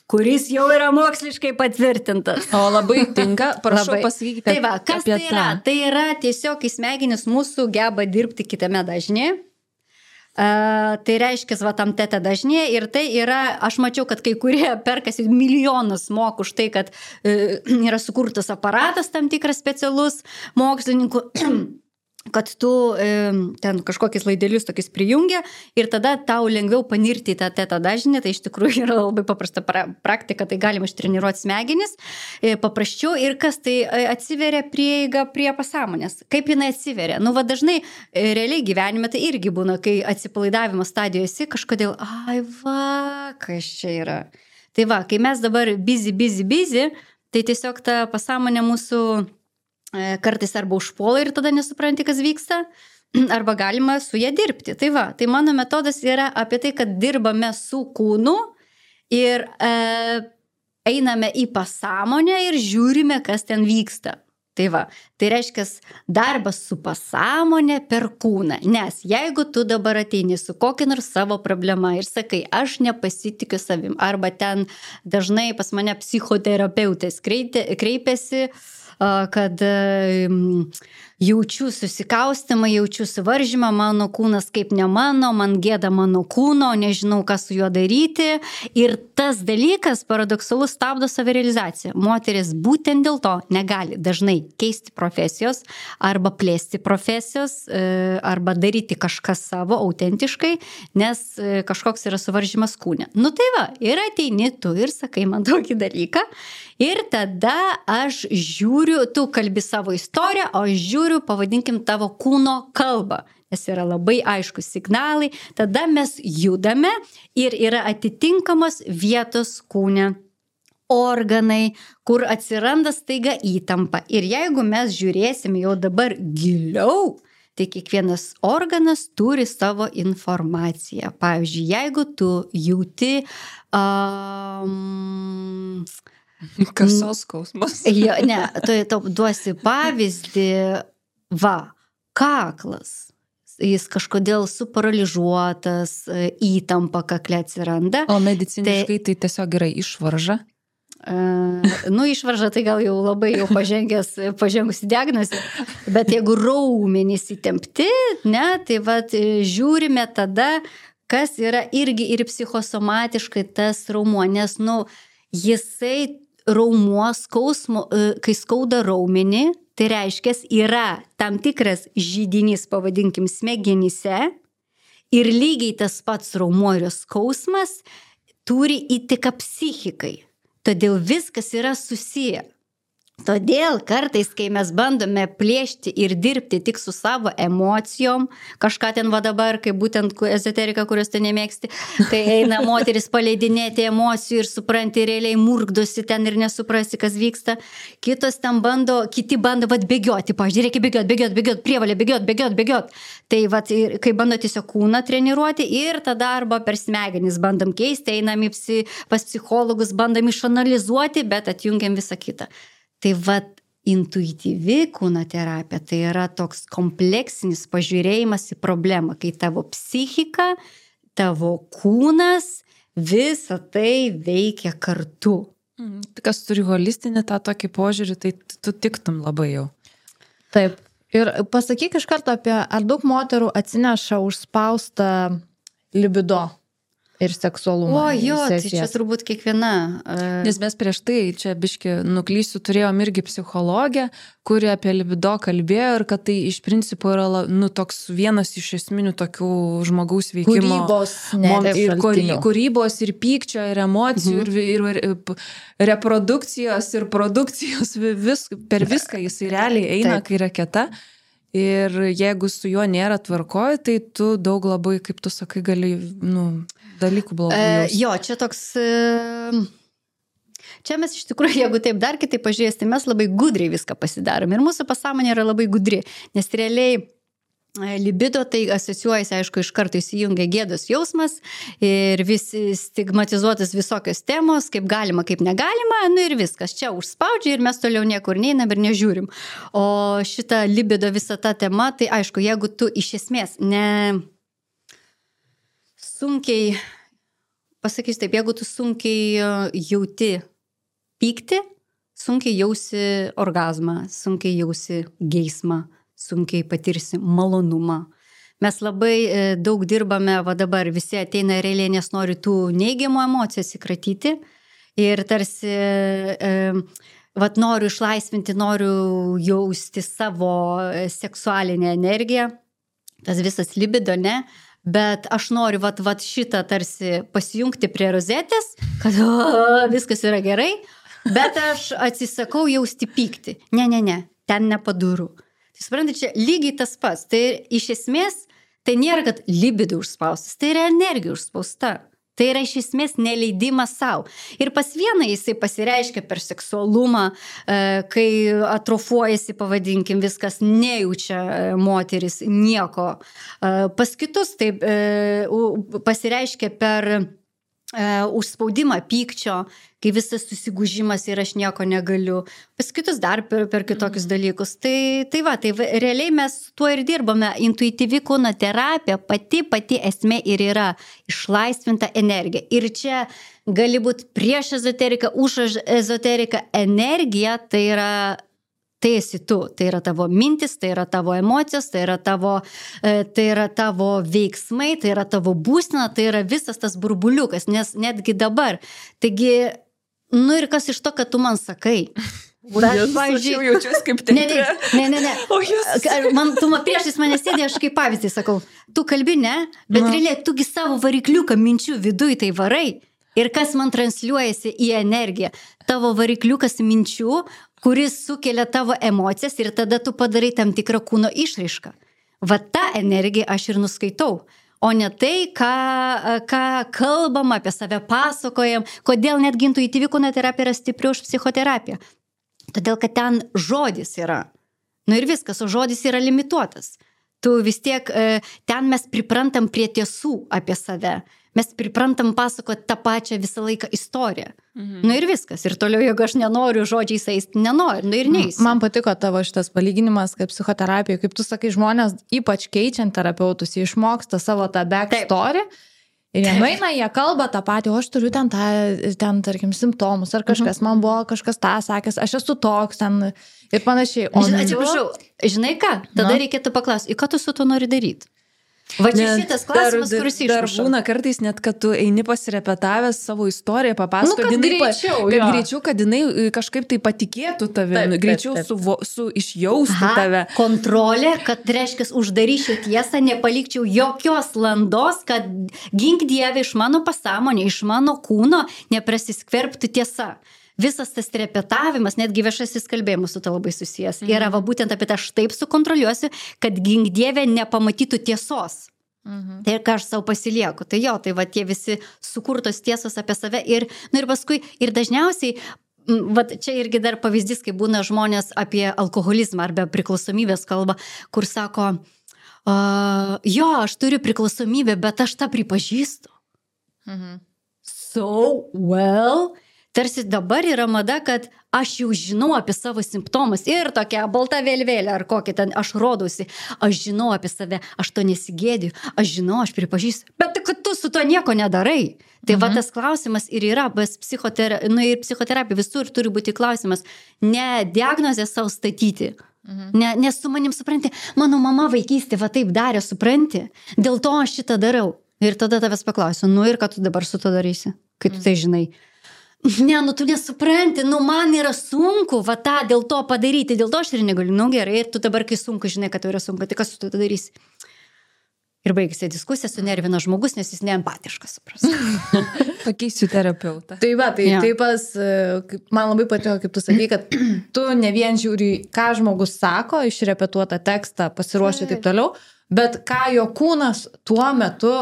kuris jau yra moksliškai patvirtintas. O labai tinka, prašau Labai. Pasakykite. Tai va, kas apie tai yra? tą. Tai yra tiesiog į smegenis mūsų geba dirbti kitame dažnė. Uh, tai reiškia, va, tam teta dažnė ir tai yra, aš mačiau, kad kai kurie perkasi milijonus mokų už tai, kad uh, yra sukurtas aparatas tam tikras specialus mokslininkų, kad tu e, ten kažkokius laidelius tokius prijungia ir tada tau lengviau panirti į tą teta dažnį, tai iš tikrųjų yra labai paprasta pra, praktika, tai galima ištreniruoti smegenis, e, paprasčiau ir kas tai e, atsiveria prieiga prie pasąmonės. Kaip jinai atsiveria? Nu, va dažnai e, realiai gyvenime tai irgi būna, kai atsipalaidavimo stadijoje esi, kažkodėl, ai va, kas čia yra. Tai va, kai mes dabar busy, busy, busy, tai tiesiog ta pasąmonė mūsų kartais arba užpuola ir tada nesupranti, kas vyksta, arba galima su ją dirbti. Tai va, tai mano metodas yra apie tai, kad dirbame su kūnu ir e, einame į pasąmonę ir žiūrime, kas ten vyksta. Tai va, tai reiškia darbas su pasąmonė per kūną, nes jeigu tu dabar ateini su kokia nors savo problema ir sakai, aš nepasitikiu savim, arba ten dažnai pas mane psichoterapeutės kreipiasi, kad jaučiu susikaustimą, jaučiu suvaržymą, mano kūnas kaip ne mano, man gėda mano kūno, nežinau, ką su juo daryti. Ir tas dalykas paradoksalus stabdo savirealizaciją. Moteris būtent dėl to negali dažnai keisti profesijos arba plėsti profesijos arba daryti kažką savo autentiškai, nes kažkoks yra suvaržymas kūne. Nu tai va, ir ateini tu ir sakai man tokį dalyką Ir tada aš žiūriu, tu kalbi savo istoriją, o aš žiūriu, pavadinkim, tavo kūno kalbą. Nes yra labai aiškus signalai, tada mes judame ir yra atitinkamos vietos kūne, organai, kur atsiranda staiga įtampa. Ir jeigu mes žiūrėsime jau dabar giliau, tai kiekvienas organas turi savo informaciją. Pavyzdžiui, jeigu tu jauti... Um, Kasos skausmas. Jo, ne, tu tau duosi pavyzdį, va, kaklas. Jis kažkodėl suparaližuotas, įtampa kakle atsiranda. O mediciniškai tai, tai tiesiog yra išvarža? Uh, nu, išvarža tai gal jau labai jau pažengęs, pažengusi diagnozė, bet jeigu raumenys įtempti, ne, tai vat žiūrime tada, kas yra irgi ir psichosomatiškai tas raumuo, nes, nu, jisai raumuo skausmo, kai skauda raumenį, tai reiškia, yra tam tikras židinys, pavadinkim, smegenyse ir lygiai tas pats raumuo ir skausmas turi įtaką psichikai. Todėl viskas yra susiję. Todėl kartais, kai mes bandome plėšti ir dirbti tik su savo emocijom, kažką ten va dabar, kaip būtent ezoterika, kurios tu nemėgsti, tai eina moteris paleidinėti emocijų ir supranti, realiai murkdosi ten ir nesuprasi, kas vyksta. Kitos ten bando, kiti bando vat bėgioti, pavyzdžiui, reikia bėgioti, bėgioti, bėgioti, prievalė, bėgioti, bėgioti, bėgioti. Tai vat, kai bando tiesiog kūną treniruoti ir tada arba per smegenis bandom keisti, einam į psi, pas psichologus, bandom išanalizuoti, bet atjungiam visą kitą. Tai vat intuityvi kūno terapija, tai yra toks kompleksinis pažiūrėjimas į problemą, kai tavo psichika, tavo kūnas, visa tai veikia kartu. Mm, kas turi holistinį tą tokį požiūrį, tai tu tiktum labai jau. Taip. Ir pasakyk iš karto apie, ar daug moterų atsineša užspaustą libido ir seksualumą. O jo, tai čia turbūt kiekviena. Uh... Nes mes prieš tai, čia biški nuklysiu, turėjom irgi psichologę, kuri apie libido kalbėjo ir kad tai iš principo yra, nu, toks vienas iš esminių tokių žmogaus veikimo. Kūrybos, ne, ir šaltinių. Kūrybos ir pykčio, ir emocijų, mhm. ir, ir, ir reprodukcijos, ir produkcijos, vis, per viską jisai realiai eina, Taip. Kai raketa. Ir jeigu su juo nėra tvarkoje, tai tu daug labai, kaip tu sakai, gali, nu, dalykų blogų jaus. E, jo, čia toks... E, čia mes iš tikrųjų, jeigu taip dar kitaip pažiūrėsime, mes labai gudriai viską pasidarom. Ir mūsų pasąmonė yra labai gudri, nes realiai libido tai asociuojasi, aišku, iš karto įsijungia gėdos jausmas ir vis stigmatizuotas visokios temos, kaip galima, kaip negalima, nu ir viskas. Čia užspaudžia ir mes toliau niekur neinam ir nežiūrim. O šita libido visa ta tema, tai aišku, jeigu tu iš esmės ne sunkiai, pasakysiu taip, jeigu tu sunkiai jauti pykti, sunkiai jausi orgazmą, sunkiai jausi geismą, sunkiai patirsi malonumą. Mes labai e, daug dirbame, va dabar visi ateina realiai, nes nori tų neigiamų emocijų atsikratyti ir tarsi e, vat noriu išlaisvinti, noriu jausti savo seksualinę energiją, tas visas libido, ne? Bet aš noriu vat, vat šitą tarsi pasijungti prie rozetės, kad o, viskas yra gerai, bet aš atsisakau jausti pykti. Ne, ne, ne, ten nepaduru. Suprantate, čia lygiai tas pats. Tai iš esmės, tai nėra, kad libido užspaustas, tai yra energija užspausta. Tai yra iš esmės neleidimas savo. Ir pas vieną jisai pasireiškia per seksualumą, kai atrofuojasi, pavadinkim, viskas, nejaučia moteris nieko. Pas kitus tai pasireiškia per užspaudimą pykčio, kai visas susigūžimas ir aš nieko negaliu. Pas kitus dar per, per kitokius dalykus. Tai, tai va, tai realiai mes tuo ir dirbame. Intuityvi kūno terapija, pati, pati esmė ir yra išlaisvinta energija. Ir čia gali būti prieš ezoteriką, už ezoteriką. Energija tai yra... Tai esi tu, tai yra tavo mintis, tai yra tavo emocijos, tai yra tavo, tai yra tavo veiksmai, tai yra tavo būsena, tai yra visas tas burbuliukas, nes netgi dabar. Taigi, nu ir kas iš to, kad tu man sakai? Aš, pavyzdžiui, aš jaučiuosi kaip tai. Ne, ne, ne, ne. Man, tu man priešais mane sėdė, aš kaip pavyzdį sakau, tu kalbi, ne, bet realiai tugi savo varikliuką minčių viduj tai varai. Ir kas man transliuojasi į energiją? Tavo varikliukas minčių, kuris sukelia tavo emocijas ir tada tu padarai tam tikrą kūno išraišką. Va tą energiją aš ir nuskaitau. O ne tai, ką, ką kalbam apie save, pasakojam, kodėl netgi intuityvi kūno terapija yra stipri už psichoterapiją. Todėl, kad ten žodis yra. Nu ir viskas, o žodis yra limituotas. Tu vis tiek, ten mes priprantam prie tiesų apie save. Mes priprantam pasakoti tą pačią visą laiką istoriją. Mhm. Nu ir viskas. Ir toliau, jeigu aš nenoriu žodžiais eisti, nenoriu. Nu ir neįsiu. Man patiko tavo šitas palyginimas, kaip psichoterapija, kaip tu sakai, žmonės, ypač keičiant terapeutus, jie išmoksta savo tą backstory. Ir jie nueina, jie kalba tą patį, o aš turiu ten, tą, ten tarkim, simptomus, ar kažkas, mhm. man buvo kažkas tą sakęs, aš esu toks ten ir panašiai. O žinai, atsiprašau, žinai ką? Tada Na? reikėtų paklausti, į ką tu su to nori daryti? Va čia šitas klausimas, dar, kuris išmuša. Dar būna kartais net, kad tu eini pasirepetavęs savo istoriją, papasako, nu, kad jinai, greičiau, kad greičiau, kad jinai kažkaip tai patikėtų tave, taip, greičiau taip, taip. Su, su išjaustų Aha, tave. Kontrolė, kad reiškia uždaryčiau tiesą, nepalikčiau jokios landos, kad gink Dieve iš mano pasąmonė, iš mano kūno neprasiskverbtų tiesa. Visas tas repetavimas, netgi viešasis kalbėjimas su to labai susijęs. Mhm. Yra va būtent apie tą aš taip sukontroliuosiu, kad gink Dieve nepamatytų tiesos. Mhm. Tai ką aš savo pasilieku. Tai jo, tai va tie visi sukurtos tiesos apie save. Ir, nu ir paskui, ir dažniausiai, va čia irgi dar pavyzdys, kai būna žmonės apie alkoholizmą arba priklausomybės kalba, kur sako, uh, jo, aš turiu priklausomybę, bet aš tą pripažįstu. Mhm. So, well... Tarsi dabar yra mada, kad aš jau žinau apie savo simptomus ir tokia balta vėliavėlė ar kokį ten aš rodausi. Aš žinau apie save, aš to nesigėdiju, aš žinau, aš pripažįstu. Bet kad tu su to nieko nedarai. Tai mhm. va tas klausimas ir yra, bet psichoterapija, nu ir psichoterapija visur turi būti klausimas. Ne diagnozę savo statyti. Mhm. Ne, nes su manim supranti, mano mama vaikystė va taip darė, supranti. Dėl to aš šitą darau. Ir tada tavęs paklausiu, nu ir ką tu dabar su to darysi, kai tu mhm. tai žinai. Ne, nu tu nesupranti, nu man yra sunku va tą dėl to padaryti, dėl to aš ir negaliu, nu gerai, ir tu dabar, kai sunku, žinai, kad tai yra sunku, tai kas tu tada darysi? Ir baigėsi diskusija, sunervina žmogus, nes jis neempatiškas, supras. Pakeisiu terapeutą. Tai va, tai ja. Taip pas, man labai patiko, kaip tu sakai, kad tu ne vien žiūri, ką žmogus sako, išrepetuotą tekstą, pasiruošia taip toliau, bet ką jo kūnas tuo metu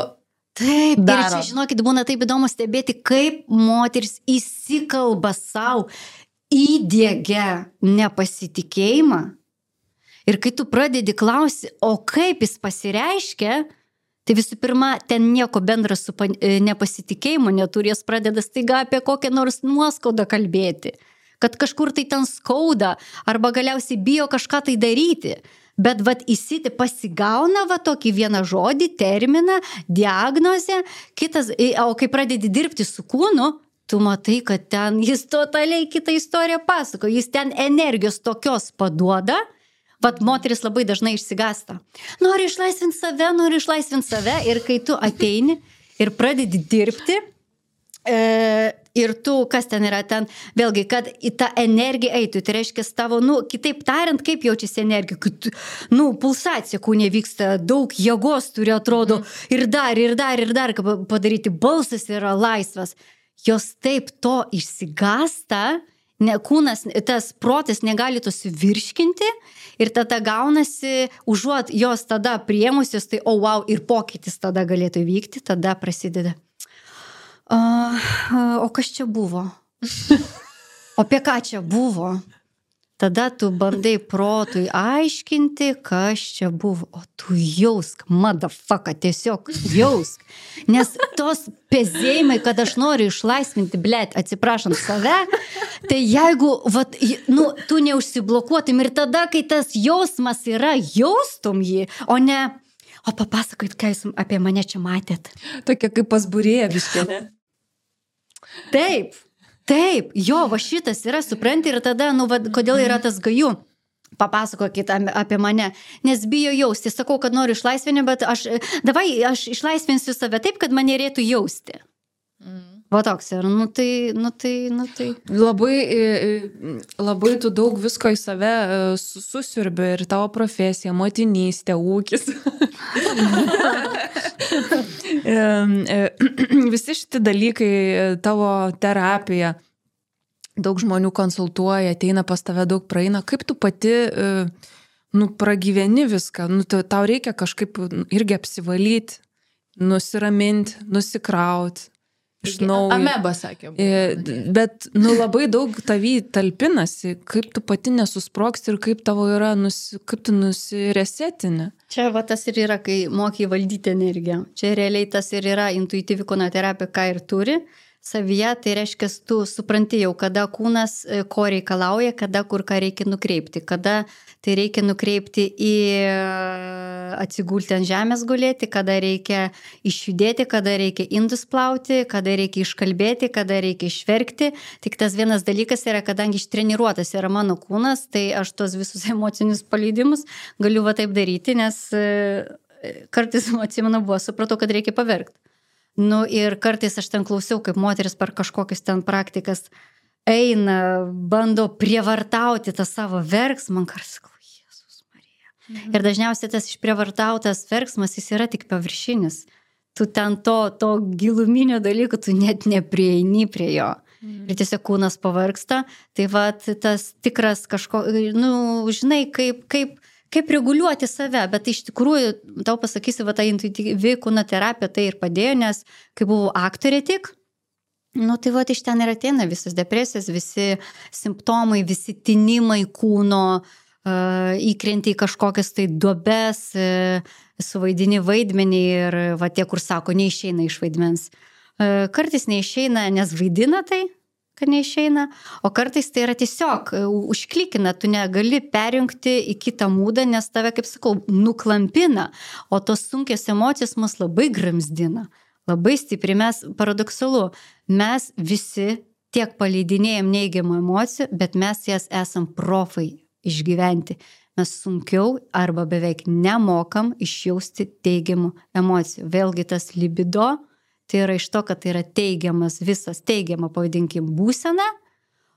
Taip, daro. Ir čia, žinokit, būna taip įdomu stebėti, kaip moteris įsikalba savo, įdiegia nepasitikėjimą. Ir kai tu pradedi klausti, o kaip jis pasireiškia, tai visų pirma, ten nieko bendra su nepasitikėjimu neturės, pradeda staiga apie kokią nors nuoskaudą kalbėti. Kad kažkur tai ten skauda, arba galiausiai bijo kažką tai daryti. Bet vat įsiti pasigauna va tokį vieną žodį, terminą, diagnozę, kitas, o kai pradedi dirbti su kūnu, tu matai, kad ten jis totaliai kitą istoriją pasako, jis ten energijos tokios paduoda, vat moteris labai dažnai išsigasta. Nori išlaisvinti save, nori išlaisvinti save ir kai tu ateini ir pradedi dirbti, e, ir tu, kas ten yra ten, vėlgi, kad į tą energiją eitų, tai reiškia tavo, nu, kitaip tariant, kaip jaučiasi energija, kad, nu, pulsacija kūne vyksta, daug jėgos turi, atrodo, mm. ir dar, ir dar, ir dar, kaip padaryti, balsas yra laisvas. Jos taip to išsigasta, ne, kūnas, tas protas negali to suvirškinti ir tada gaunasi, užuot jos tada priemusios, tai, o oh, wow, ir pokytis tada galėtų vykti, tada prasideda. Uh, uh, o kas čia buvo? O apie ką čia buvo? Tada tu bandai protui aiškinti, kas čia buvo. O tu jausk, motherfucker, tiesiog jausk. Nes tos pezėjimai, kad aš noriu išlaisvinti, blėt, atsiprašant save, tai jeigu, vat, nu, tu neužsiblokuotum ir tada, kai tas jausmas yra, jaustum jį, o ne, o papasakot, ką jūs apie mane čia matėt. Tokia kaip pas Būrėja biškė, ne? Taip, taip, jo, va šitas yra, supranti, ir tada, nu, va, kodėl yra tas gaju, papasakokit apie mane, nes bijo jausti, sakau, kad noriu išlaisvinti, bet aš, davai, aš išlaisvinsiu save taip, kad mane reikėtų jausti. Mm. Va toks ir, nu tai, nu tai, nu tai. Labai, labai tu daug visko į save susiurbi ir tavo profesija, motinystė, ūkis. Visi šitie dalykai, tavo terapija, daug žmonių konsultuoja, ateina pas tave, daug praeina. Kaip tu pati, nu, pragyveni viską, nu, tau reikia kažkaip irgi apsivalyti, nusiraminti, nusikrauti. Iš naujo. Ameba, sakė. Bet, nu, labai daug tavy talpinasi, kaip tu pati nesusprogsti ir kaip tavo yra, nusi, kaip tu nusiresetini. Čia va tas ir yra, kai mokai valdyti energiją. Čia realiai tas ir yra intuityvi kūno terapija, ką ir turi. Savyje, tai reiškia, tu supranti jau, kada kūnas ko reikalauja, kada kur ką reikia nukreipti, kada tai reikia nukreipti į atsigulti ant žemės gulėti, kada reikia išjudėti, kada reikia indus plauti, kada reikia iškalbėti, kada reikia išverkti. Tik tas vienas dalykas yra, kadangi ištreniruotas yra mano kūnas, tai aš tos visus emocinius paleidimus galiu va taip daryti, nes kartais, atsimenu, buvo, supratau, kad reikia paverkti. Nu ir kartais aš ten klausiau, kaip moteris per kažkokius ten praktikas eina, bando prievartauti tą savo verksmą, man kartais sakau, Jėzus Marija. Mhm. Ir dažniausiai tas išprievartautas verksmas, jis yra tik paviršinis. Tu ten to, to giluminio dalyko, tu net neprieini prie jo. Mhm. Ir tiesiog kūnas pavargsta. Tai va tas tikras kažko, nu, žinai, kaip, kaip kaip reguliuoti save, bet iš tikrųjų, tau pasakysiu, va ta intuityvi kūno terapija tai ir padėjo, nes kai buvau aktorė tik, nu tai va iš ten ir ateina visas depresijas, visi simptomai, visi tinimai kūno, uh, įkrenti į kažkokias tai duobes, uh, suvaidini vaidmenį ir va tie, kur sako, neišeina iš vaidmens. Uh, kartais neišeina, nes vaidina tai, kad neišeina, o kartais tai yra tiesiog užklikina, tu negali perjungti į kitą mūdą, nes tave, kaip sakau, nuklampina, o tos sunkios emocijos mus labai gramzdina, labai stipri. Mes, paradoksalu, mes visi tiek paleidinėjom neigiamų emocijų, bet mes jas esam profai išgyventi. Mes sunkiau arba beveik nemokam išjausti teigiamų emocijų. Vėlgi tas libido, tai yra iš to, kad tai yra teigiamas visas, teigiama, pavadinkim, būsena,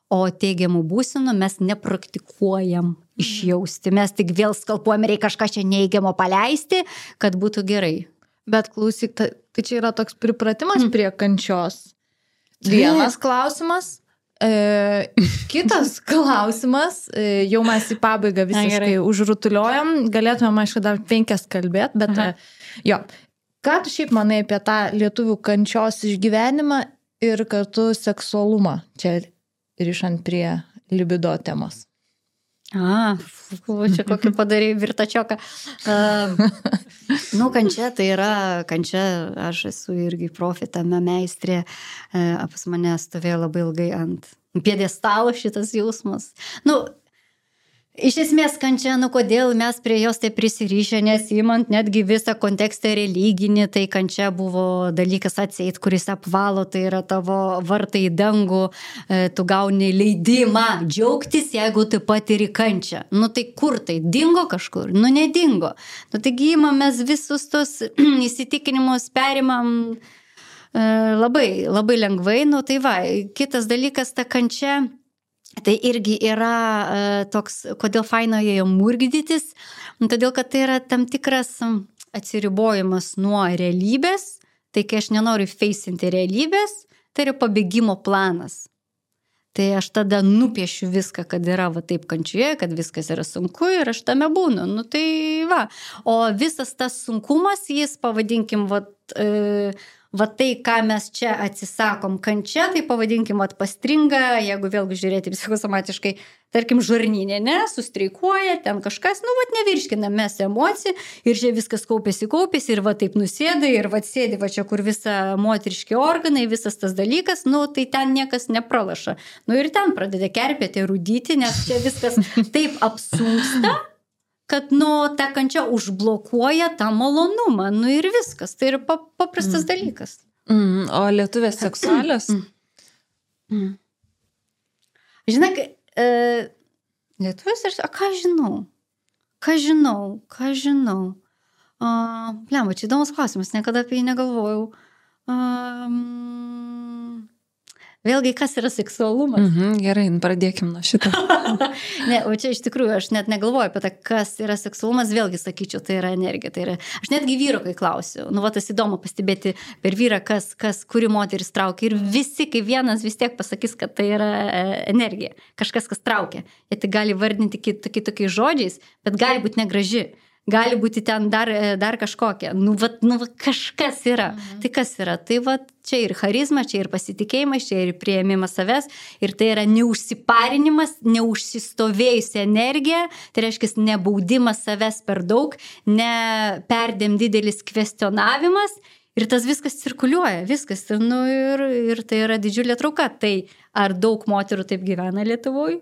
o teigiamų būsenų mes nepraktikuojam išjausti. Mes tik vėl skalpuojam, reikia kažką čia neigiamo paleisti, kad būtų gerai. Bet klausyk, tai, tai čia yra toks pripratimas mm. prie kančios. Vienas klausimas. E, kitas klausimas, e, jau mes į pabaigą visiškai užrutuliojam, galėtume, aišku, dar penkias kalbėt, bet e, jo. Ką tu šiaip manai apie tą lietuvių kančios išgyvenimą ir kartu seksualumą, čia rišant prie libido temos? A, čia kokį padarė virtačioką. Uh, nu, kančia tai yra, kančia, aš esu irgi profi tame meistrė, uh, pas mane stovėjo labai ilgai ant pjedestalo šitas jausmas. Nu, iš esmės kančia, nu kodėl mes prie jos tai prisirišę, nes įmant netgi visą kontekstą religinį, tai kančia buvo dalykas atseit, kuris apvalo, tai yra tavo vartai į dangų, tu gauni leidimą džiaugtis, jeigu tu patiri kančią. Nu tai kur tai? Dingo kažkur? Nu nedingo. Nu taigi įmam mes visus tos įsitikinimus perimam labai, labai lengvai. Nu tai va, kitas dalykas, ta kančia, tai irgi yra uh, toks, kodėl faino joje murgdytis, todėl, kad tai yra tam tikras atsiribojimas nuo realybės, tai kai aš nenoriu feisinti realybės, tai yra pabėgimo planas. Tai aš tada nupiešiu viską, kad yra va taip kančioje, kad viskas yra sunku ir aš tame būnu. Nu tai va, o visas tas sunkumas, jis pavadinkim, va, uh, va tai, ką mes čia atsisakom kančia, tai pavadinkim atpastringa, jeigu vėlgi žiūrėti psichosomatiškai, tarkim, žarninė, ne, sustreikuoja, ten kažkas, nu, va, nevirškina mes emocijų ir čia viskas kaupėsi, kaupėsi ir va taip nusėda ir va sėdi, va čia kur visa moteriški organai, visas tas dalykas, nu, tai ten niekas nepralaša. Nu ir ten pradeda kerpėti, rūdyti, nes čia viskas taip apsunksta, kad, nu, ta kančia užblokuoja tą malonumą, nu ir viskas, tai yra paprastas mm. dalykas. Mm, o lietuvės seksualios? Mm. Mm. Žinai, e, lietuvės, a ką žinau? Ką žinau? Ką žinau? A, blema, čia įdomus klausimas, niekada apie jį negalvojau. A, mm, Vėlgi, kas yra seksualumas? Mhm, gerai, pradėkim nuo šito. Ne, o čia iš tikrųjų aš net negalvoju apie tai, kas yra seksualumas, vėlgi sakyčiau, tai yra energija. Tai yra, aš netgi vyro, kai klausiu, nu, va, tas įdomu pastebėti per vyrą, kas, kas kuri moteris traukia. Ir visi, kaip vienas, vis tiek pasakys, kad tai yra energija. Kažkas, kas traukia. Jie tai gali vardinti kitokiais žodžiais, bet gali būti negraži. Gali būti ten dar, dar kažkokia. Nu, va, nu, va, kažkas yra. Mhm. Tai kas yra? Tai va, čia ir charizma, čia ir pasitikėjimas, čia ir priėmimas savęs. Ir tai yra neužsiparinimas, neužsistovėjusi energija. Tai reiškia, nebaudimas savęs per daug, ne perdėm didelis kvestionavimas. Ir tas viskas cirkuliuoja, viskas. Nu, ir, ir tai yra didžiulė trauka. Tai ar daug moterų taip gyvena Lietuvoje?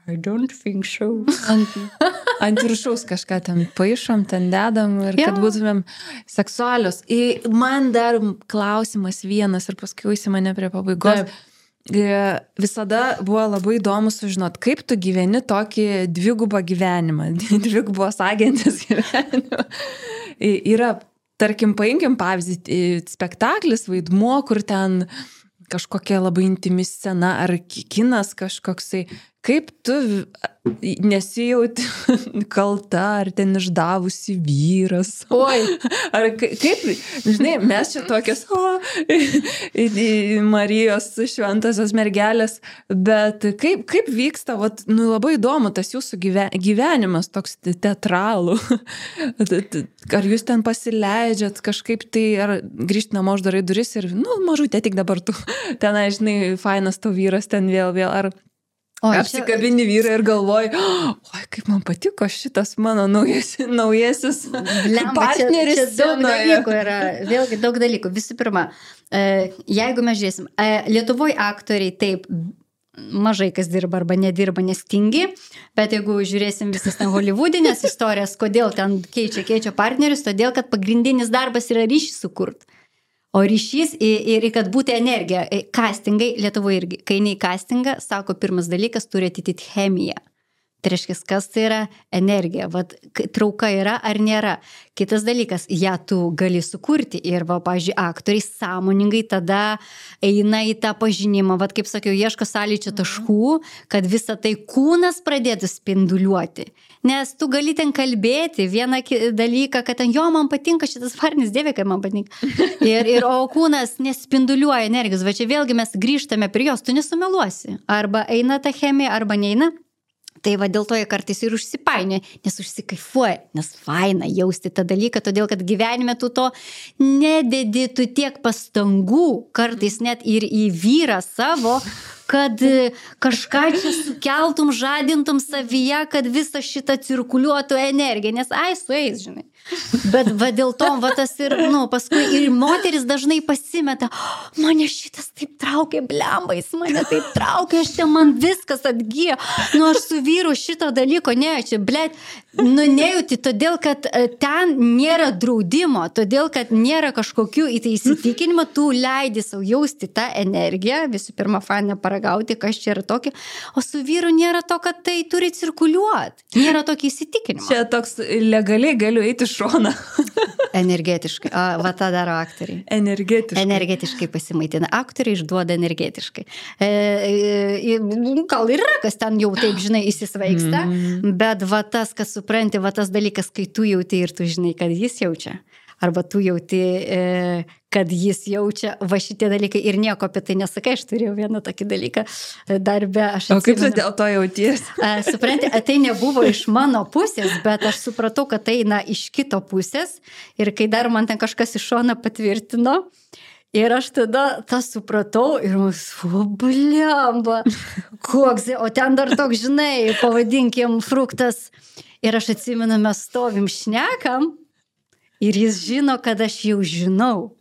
I don't think so. Ant, ant viršaus kažką ten paišom, ten dedam ir kad yeah. būtumėm seksualios. Ir man dar klausimas vienas ir paskui į mane prie pabaigos. Taip. Visada buvo labai įdomu sužinot, kaip tu gyveni tokį dvigubą gyvenimą, dvigubos agentės gyvenimą. Yra, tarkim, paimkim pavyzdį, spektaklis, vaidmuo, kur ten kažkokia labai intimi scena ar kinas kažkoksai. Kaip tu nesijauti kalta, ar ten išdavusi vyras? Oi. Ar kaip, žinai, mes čia tokios, o, Marijos šventosios mergelės, bet kaip, kaip vyksta, vat, nu, labai įdomu tas jūsų gyvenimas, toks teatralų. Ar jūs ten pasileidžiat kažkaip tai, ar grįžti namo uždarai duris ir, nu, mažutė, tik dabar tu, ten, žinai, fainas tavo vyras ten vėl, vėl, ar... O, apsikabini vyrą ir galvoji, oi, kaip man patiko šitas mano naujasis, naujasis Blemba, partneris. Čia, čia daug dalykų yra, vėlgi daug dalykų. Visų pirma, jeigu mes žiūrėsim, Lietuvoje aktoriai taip mažai kas dirba arba nedirba, nes tingi, bet jeigu žiūrėsim visas ten hollywoodinės istorijas, kodėl ten keičia, keičia partnerius, todėl, kad pagrindinis darbas yra ryšį sukurt. O ryšys ir, ir kad būtų energija. Castingai, Lietuvoje irgi, kai eini į castingą, sako, pirmas dalykas turi atitikti chemiją. Tai reiškia, kas tai yra energija, vat, trauka yra ar nėra. Kitas dalykas, ją tu gali sukurti ir, va, pavyzdžiui, aktoriai sąmoningai tada eina į tą pažinimą, vat, kaip sakiau, ieško sąlyčio taškų, kad visa tai kūnas pradėtų spinduliuoti. Nes tu gali ten kalbėti vieną dalyką, kad ten, jo, man patinka šitas varnis, dieve, kad man patinka. Ir, ir o kūnas nespinduliuoja energijos, va čia vėlgi mes grįžtame prie jos, tu nesumeluosi. Arba eina ta chemija, arba neina. Tai va dėl to jie kartais ir užsipainioja, nes užsikaifuoja, nes faina jausti tą dalyką, todėl kad gyvenime tu to nededi, tu tiek pastangų, kartais net ir į vyrą savo, kad kažką čia sukeltum, žadintum savyje, kad visą šitą cirkuliuotų energiją, nes ai, sueis, žinai. Bet va dėl to, va tas ir, nu, paskui ir moteris dažnai pasimeta, mane šitas taip traukia, blembais, mane taip traukia, aš ten man viskas atgyja, nu aš su vyru šito dalyko nejaučiu, blėt, nu nejauti, todėl kad ten nėra draudimo, todėl kad nėra kažkokių į tai įsitikinimą, tu leidi savo jausti tą energiją, visų pirma, faina paragauti, kas čia yra tokia, o su vyru nėra to, kad tai turi cirkuliuoti, nėra tokio įsitikinimo. Čia toks legaliai galiu eiti šoną. Energetiškai. A, va tą daro aktoriai. Energetiškai. Energetiškai pasimaitina. Aktoriai išduoda energetiškai. E, e, gal ir yra, kas ten jau taip, žinai, įsisvaigsta, mm. bet va tas, kas supranti, va tas dalykas, kai tu jauti ir tu žinai, kad jis jaučia. Arba tu jauti, e, kad jis jaučia va šitie dalykai ir nieko apie tai nesakai. Aš turėjau vieną tokį dalyką darbe. Aš o kaip tu dėl to jauties? Supranti, tai nebuvo iš mano pusės, bet aš supratau, kad tai eina iš kito pusės. Ir kai dar man ten kažkas iš šono patvirtino, ir aš tada tą supratau ir mus, o blemba, koks, o ten dar toks, žinai, pavadinkim, fruktas. Ir aš atsimenu, mes stovim šnekam. Ir jis žino, kad aš jau žinau.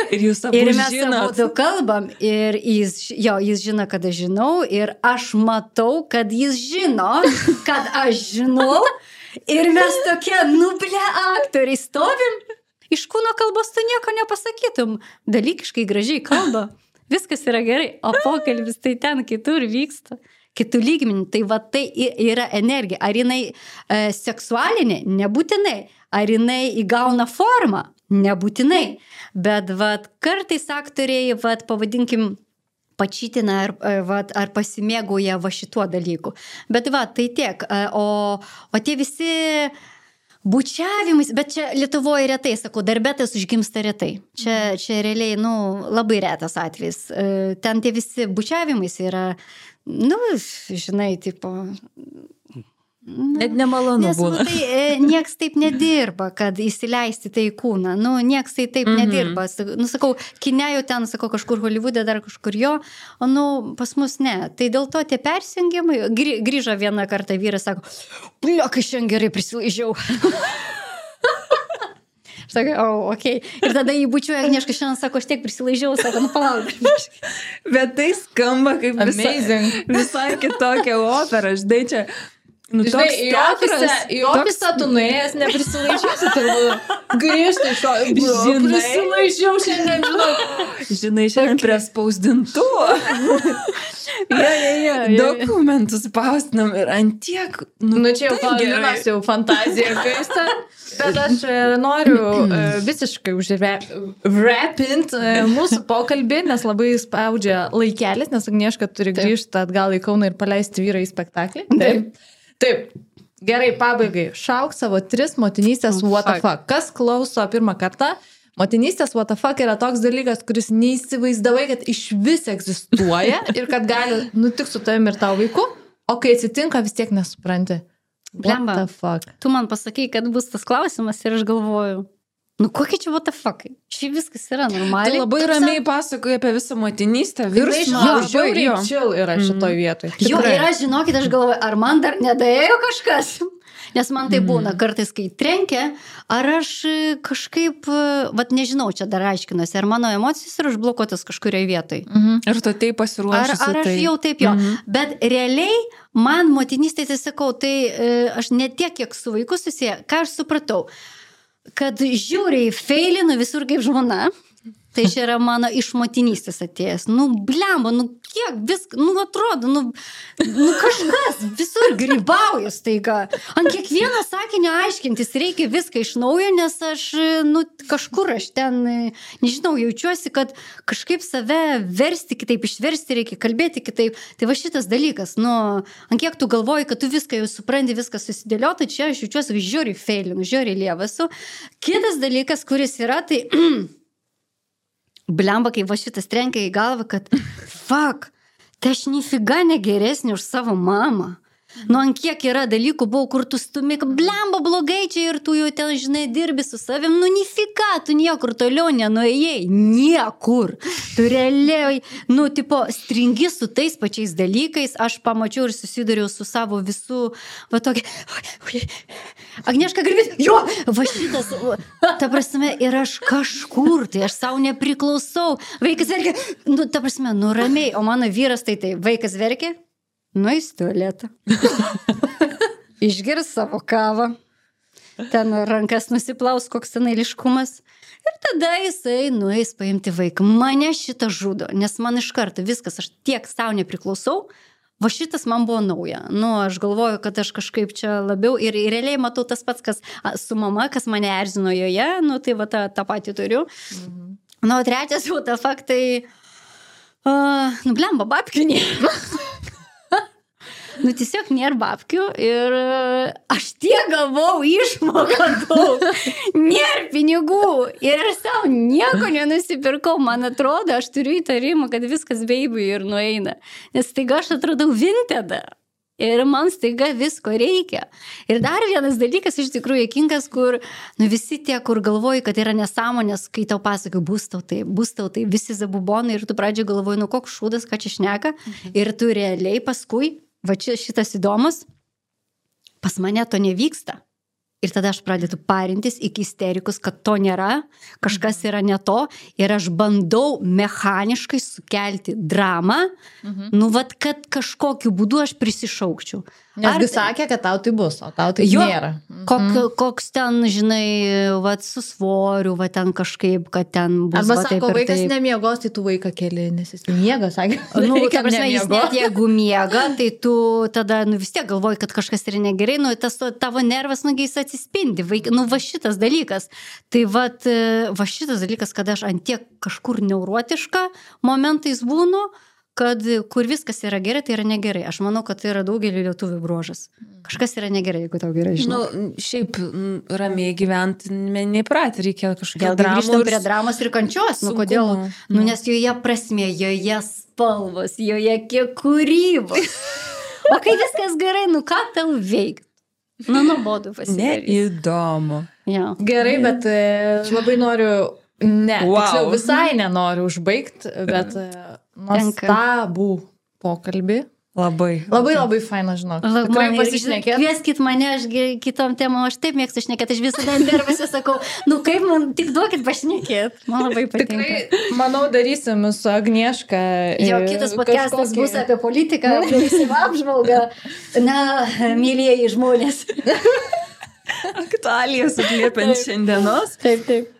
Ir jūs abu žinot. Ir mes abu kalbam. Ir jis, jo, jis žino, kad aš žinau. Ir aš matau, kad jis žino, kad aš žinau. Ir mes tokie, nu, ble, aktoriai stovim. Iš kūno kalbos tu nieko nepasakytum. Dalykiškai gražiai kalba. Viskas yra gerai. O pokalbis tai ten kitur vyksta. Kitų lygmenį. Tai va tai yra energija. Ar jinai e, seksualinė? Nebūtinai. Ar jinai įgauna formą? Nebūtinai. Bet vat, kartais aktoriai, vat, pavadinkim, pačytina ar, va, ar pasimėgauja va šituo dalyku. Bet va, tai tiek. O, o tie visi bučiavimais, bet čia Lietuvoje retai, sakau, darbetas užgimsta retai. Čia, čia realiai, nu, labai retas atvejis. Ten tie visi bučiavimais yra, nu, žinai, tipo... Net nemalonu nes, būna. Nu, tai nieks taip nedirba, kad įsileisti tai į kūną. Nu, nieks tai taip mm-hmm. nedirba. Nu, sakau, kine jau ten, sakau, kažkur Hollywoode, dar kažkur jo, o nu, pas mus ne. Tai dėl to tie persijungimai, grįžo vieną kartą vyras, sako, blia, kai šiandien gerai prisilaižiau. Aš sakau, o, oh, okei. Okay. Ir tada jį bučiuoja Agnieška, šiandien sako, aš tiek prisilaižiau, sako, nu palauk. Bet tai skamba kaip visa, visai kitokia opera, žinai čia. Nu, žinai, į ofisą, į ofisą tu nuėjęs, neprisilaižiusi, turbūt grįžti iš to, prisilaižiau šiandien, žinau. Žinai, šiandien prie spausdintuvo. Ja, ja, ja, ja. Dokumentus spausdinam ir ant tiek, nu, nu čia jau Paulinas jau fantazija kaista, bet aš noriu visiškai užrepint mūsų pokalbį, nes labai spaudžia laikelis, nes Agnieška turi grįžti atgal į Kauną ir paleisti vyrą į spektaklį. Taip. Taip, gerai, pabaigai. Šauk savo tris motinystės oh, what the fuck. Kas klauso pirmą kartą? Motinystės what the fuck yra toks dalykas, kuris neįsivaizdavai, kad iš vis egzistuoja ir kad gali nutikti su tavim ir tavo vaiku, o kai atsitinka, vis tiek nesupranti. What Blemba, the fuck? Tu man pasakai, kad bus tas klausimas ir aš galvoju, nu kokie čia what the fuck? Čia viskas yra normaliai. Tu labai Toks ramiai pasakoji apie visą motinystę, virsmą. Jo, žiauriai chill yra šitoj vietoj. Jo, ir aš, žinokit, aš galvoju, ar man dar nedaėjo kažkas? Nes man tai būna, kartais kai trenkia, ar aš kažkaip, vat nežinau, čia dar aiškinuosi, ar mano emocijos yra užblokuotas kažkurioje vietoje. Mhm. Ir tu taip pasiruošusi. Ar, ar aš tai... jau taip jo. Mhm. Bet realiai man motinystė, tai sakau, tai aš ne tiek, kiek su vaiku susiję, ką aš supratau, kad žiūriai feilinu visur kaip žmona. Tai čia yra mano iš motinystės atėjęs. Nu, blemba, nu kiek viską, nu atrodo, nu, nu kažkas visur grybauja staiga. Ant kiekvieno sakinio aiškintis reikia viską iš naujo, nes aš, nu, kažkur aš ten, nežinau, jaučiuosi, kad kažkaip save versti kitaip, išversti reikia, kalbėti kitaip. Tai va šitas dalykas, nu, ant kiek tu galvoji, kad tu viską jau supranti, viską susidėliota, čia aš jaučiuosi žiūri feilinu, žiūri lievasu. Kitas dalykas, kuris yra, tai... Blemba, kai va šitas trenkia į galvą, kad fuck, tai aš nifiga negeresnė už savo mamą. Nu, ant kiek yra dalykų buvo, kur tu stumi, blemba, blogai čia ir tu jau ten, žinai, dirbi su savim, nu, nifiga, tu niekur toliau nenuėjai, niekur. Tu realiai, nu, tipo, stringi su tais pačiais dalykais, aš pamačiau ir susidariau su savo visų, va tokia, Agnieška garbės, jo, va šitas, ta prasme, ir aš kažkur, tai aš savo nepriklausau, vaikas verkia, nu, ta prasme, nu, ramiai, o mano vyras tai tai, vaikas verkia, nueis tualetą, išgirs savo kavą, ten rankas nusiplaus, koks ten eiliškumas, ir tada jisai nueis paimti vaiką. Mane šitą žudo, nes man iš karto viskas, aš tiek savo nepriklausau, va šitas man buvo nauja. Nu, aš galvoju, kad aš kažkaip čia labiau, ir, ir realiai matau tas pats, kas su mama, kas mane erzino joje, nu, tai va tą, tą patį turiu. Mhm. Nu, o trečias jau tą faktai, uh, nu, blemba, babkių nėra. Nu, tiesiog nėra babkių ir aš tiek gavau išmoką daug, nėra pinigų ir aš savo nieko nenusipirkau, man atrodo, aš turiu įtarimą, kad viskas baby ir nueina, nes staiga aš atradau Vintedą ir man staiga visko reikia. Ir dar vienas dalykas iš tikrųjų juokingas, kur nu, visi tie, kur galvoji, kad yra nesąmonės, kai tau pasakai, bus tau tai, bus tau tai, visi zabubonai ir tu pradžiai galvoji, nu koks šūdas, ką čia šneka, mhm. ir tu realiai paskui va čia šitas įdomus, pas mane to nevyksta. Ir tada aš pradedu parintis iki isterikus, kad to nėra, kažkas yra ne to, ir aš bandau mechaniškai sukelti dramą, mhm. nu, vat, kad kažkokiu būdu aš prisišaukčiau. Nesgi sakė, kad tau tai bus, o tau tai jo, nėra. Kok, mhm. Koks ten, žinai, vat, su svoriu, vat, ten kažkaip, kad ten bus. Arba va, sako, taip, vaikas taip. Nemiegos, tai tu vaiką keli, nes jis miega, sakė. Nu, ta prasme, jis net jeigu miega, tai tu tada, nu, vis tiek galvoji, kad kažkas yra negerai, nu, tas tavo nervas, nu, jis atsispindi. Vaik, nu, va šitas dalykas. Tai vat, va šitas dalykas, kad aš ant tiek kažkur neurotiška momentais būnu, kad kur viskas yra gerai, tai yra negerai. Aš manau, kad tai yra daugelį lietuvių bruožas. Kažkas yra negerai, jeigu tau gerai žinau. Nu, šiaip ramiai gyventi neįpratę, reikia kažkokią dramą. Grįžtam ir prie dramos ir kančios. Nu, kodėl? Nu, nes joje prasmė, joje spalvos, joje kiek kūrybos. O kai viskas gerai, nu ką tau veikt? Nu, nuobodu pasidarys. Neįdomu. Ja. Gerai, bet e, labai noriu, ne, Wow. tiksliau, visai nenoriu užbaigti, bet e, nuostabų pokalbį. Labai. Labai labai faina, žinok. Tikrai pasišnekėt. Kvieskit mane, aš gi- kitom temom, aš taip mėgstu šnekėti, aš visada interviuose sakau, nu kaip man, tik duokit pašnekėti. Man labai patinka. Tikrai, manau, darysim su Agnieška. Jo, e, kitas podcastas kažkokį- bus apie politiką, apie apžvalgą. Na, mylėjai žmonės. Aktualijas atliepiant šiandienos. Taip, taip.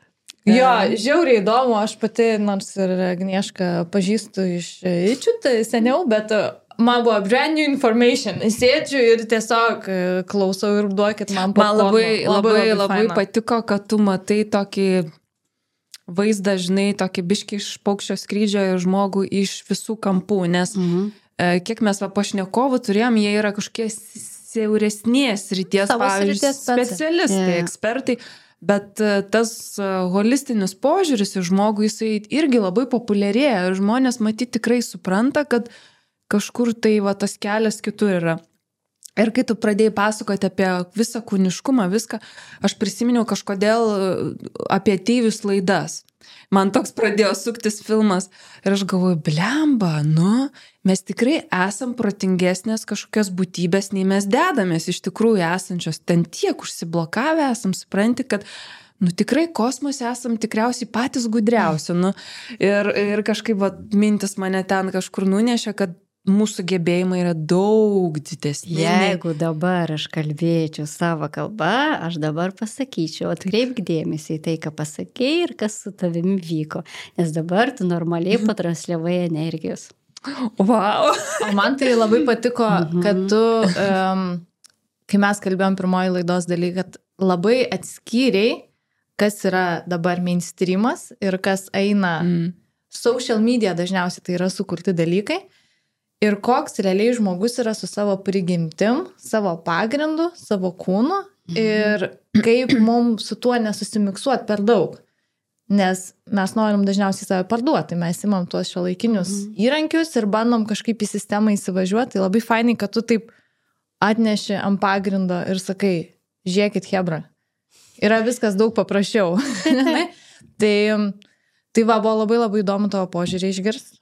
Jo, žiauriai įdomu, aš pati, nors ir Agniešką pažįstu iš Ičiut seniau, bet e, man buvo brand new information. Sėdžiu ir tiesiog e, klausau ir duokit man Man popkorno. labai, labai, labai, labai faina. patiko, kad tu matai tokį vaizdą, žinai, tokį biškį iš paukščio skrydžio ir žmogų iš visų kampų, nes Mhm. e, kiek mes va pašnekovų turėjom, jie yra kažkokie siauresnės ryties, Savo pavyzdžiui, srities specai. specialistai, Jo. ekspertai, bet e, tas e, holistinis požiūris į žmogų, jisai irgi labai populiarėja ir žmonės matyti tikrai supranta, kad kažkur tai va tas kelias kitur yra. Ir kai tu pradėjai pasakoti apie visą kūniškumą, viską, aš prisiminiau kažkodėl apie ateivius laidas. Man toks pradėjo suktis filmas ir aš galvoju, blemba, nu, mes tikrai esam protingesnės kažkokios būtybės, nei mes dedamės iš tikrųjų esančios. Ten tiek užsiblokavę esam, supranti, kad nu tikrai kosmose esam tikriausiai patys gudriausi. Nu, ir, ir kažkaip va, mintis mane ten kažkur nunešė, kad mūsų gebėjimai yra daug didesni. Jeigu dabar aš kalbėčiau savo kalbą, aš dabar pasakyčiau, atkreipk dėmesį į tai, ką pasakei ir kas su tavimi vyko. Nes dabar tu normaliai patransliavai energijos. Wow. O man tai labai patiko, kad tu, um, kai mes kalbėjom pirmoji laidos daly, kad labai atskyriai, kas yra dabar mainstreamas ir kas eina Mm. social media, dažniausiai tai yra sukurti dalykai. Ir koks realiai žmogus yra su savo prigimtim, savo pagrindu, savo kūnu ir kaip mums su tuo nesusimiksuot per daug. Nes mes norim dažniausiai save parduoti, mes imam tuos šiuolaikinius įrankius ir bandom kažkaip į sistemą įsivažiuoti. Tai labai fainai, kad tu taip atneši ant pagrindo ir sakai, žiūrėkit hebra, yra viskas daug paprasčiau. tai, tai va, buvo labai labai įdomu tavo požiūrį išgirsti.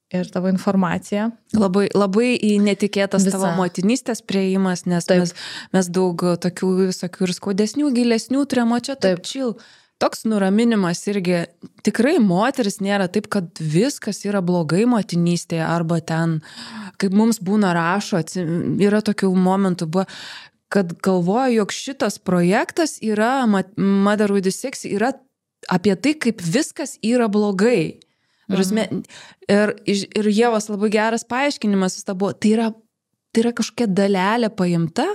Ir tavo informacija. Labai, labai į netikėtas Visa. tavo motinystės prieimas, nes Taip. mes, mes daug tokių visokių ir skaudesnių, gilesnių turėjom, o čia taip chill. Toks nuraminimas irgi, tikrai moteris nėra taip, kad viskas yra blogai motinystėje, arba ten, kaip mums būna rašo, atsi- yra tokių momentų, buvo, kad galvoju, jog šitas projektas yra, Mother with the Sex, yra apie tai, kaip viskas yra blogai. Mhm. Ir, ir Ievos labai geras paaiškinimas vis ta buvo, tai yra, tai yra kažkokia dalelė paimta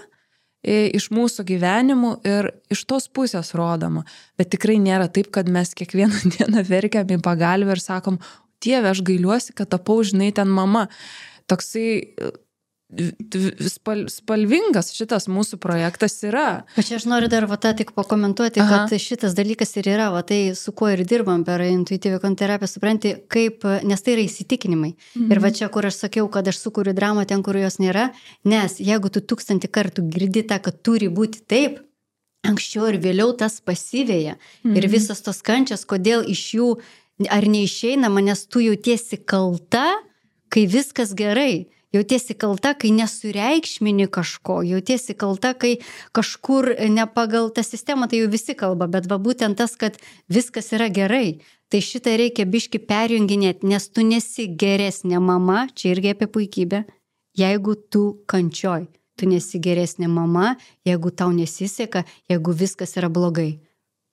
iš mūsų gyvenimų ir iš tos pusės rodoma. Bet tikrai nėra taip, kad mes kiekvieną dieną verkiam į pagalbę ir sakom, Dieve, aš gailiuosi, kad tapau, žinai, ten mama. Toksai spal, spalvingas šitas mūsų projektas yra. Bet čia aš noriu dar va tą tik pakomentuoti, Aha. kad šitas dalykas ir yra, va tai su kuo ir dirbam per intuityvią konterapiją, supranti, kaip, nes tai yra įsitikinimai. Mhm. Ir va čia, kur aš sakiau, kad aš sukuriu dramą ten, kur jos nėra, nes jeigu tu tūkstantį kartų girdi tą, kad turi būti taip, anksčiau ir vėliau tas pasivėja. Mhm. Ir visas tos kančias, kodėl iš jų ar neišeinama, nes tu jautiesi kalta, kai viskas gerai. Jautiesi kalta, kai nesureikšmini kažko, jautiesi kalta, kai kažkur ne pagal tą sistemą, tai jau visi kalba, bet va būtent tas, kad viskas yra gerai. Tai šitą reikia biški perjunginėti, nes tu nesi geresnė mama, čia irgi apie puikybę, jeigu tu kančioj. Tu nesi geresnė mama, jeigu tau nesiseka, jeigu viskas yra blogai.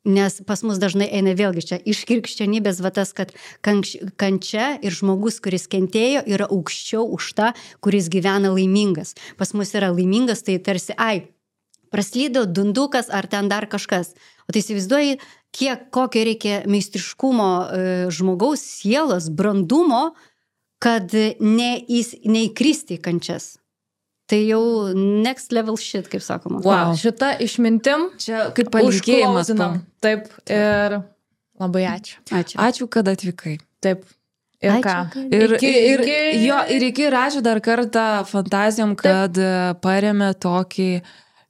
Nes pas mus dažnai eina vėlgi čia iš krikščionybės va tas, kad kančia ir žmogus, kuris kentėjo, yra aukščiau už tą, kuris gyvena laimingas. Pas mus yra laimingas, tai tarsi, ai, praslydo dundukas ar ten dar kažkas. O tai įsivaizduoji, kiek, kokio reikia meistriškumo e, žmogaus sielos, brandumo, kad neįs, neįkristi į kančias. Tai jau next level shit, kaip sakoma. Wow, šita išmintim čia kaip palinkėjimas. Taip, ir labai ačiū. Ačiū. Ačiū, kad atvykai. Taip. Ir Ačiū, ką? kad- Ir, Iki- ir, iki- jo, ir iki ir ačiū dar kartą fantazijom, kad paremė tokį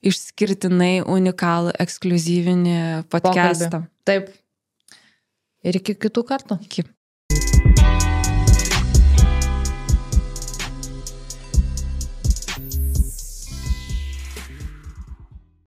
išskirtinai unikalų, ekskluzyvinį podcastą. Taip. Ir iki kitų kartų. Iki.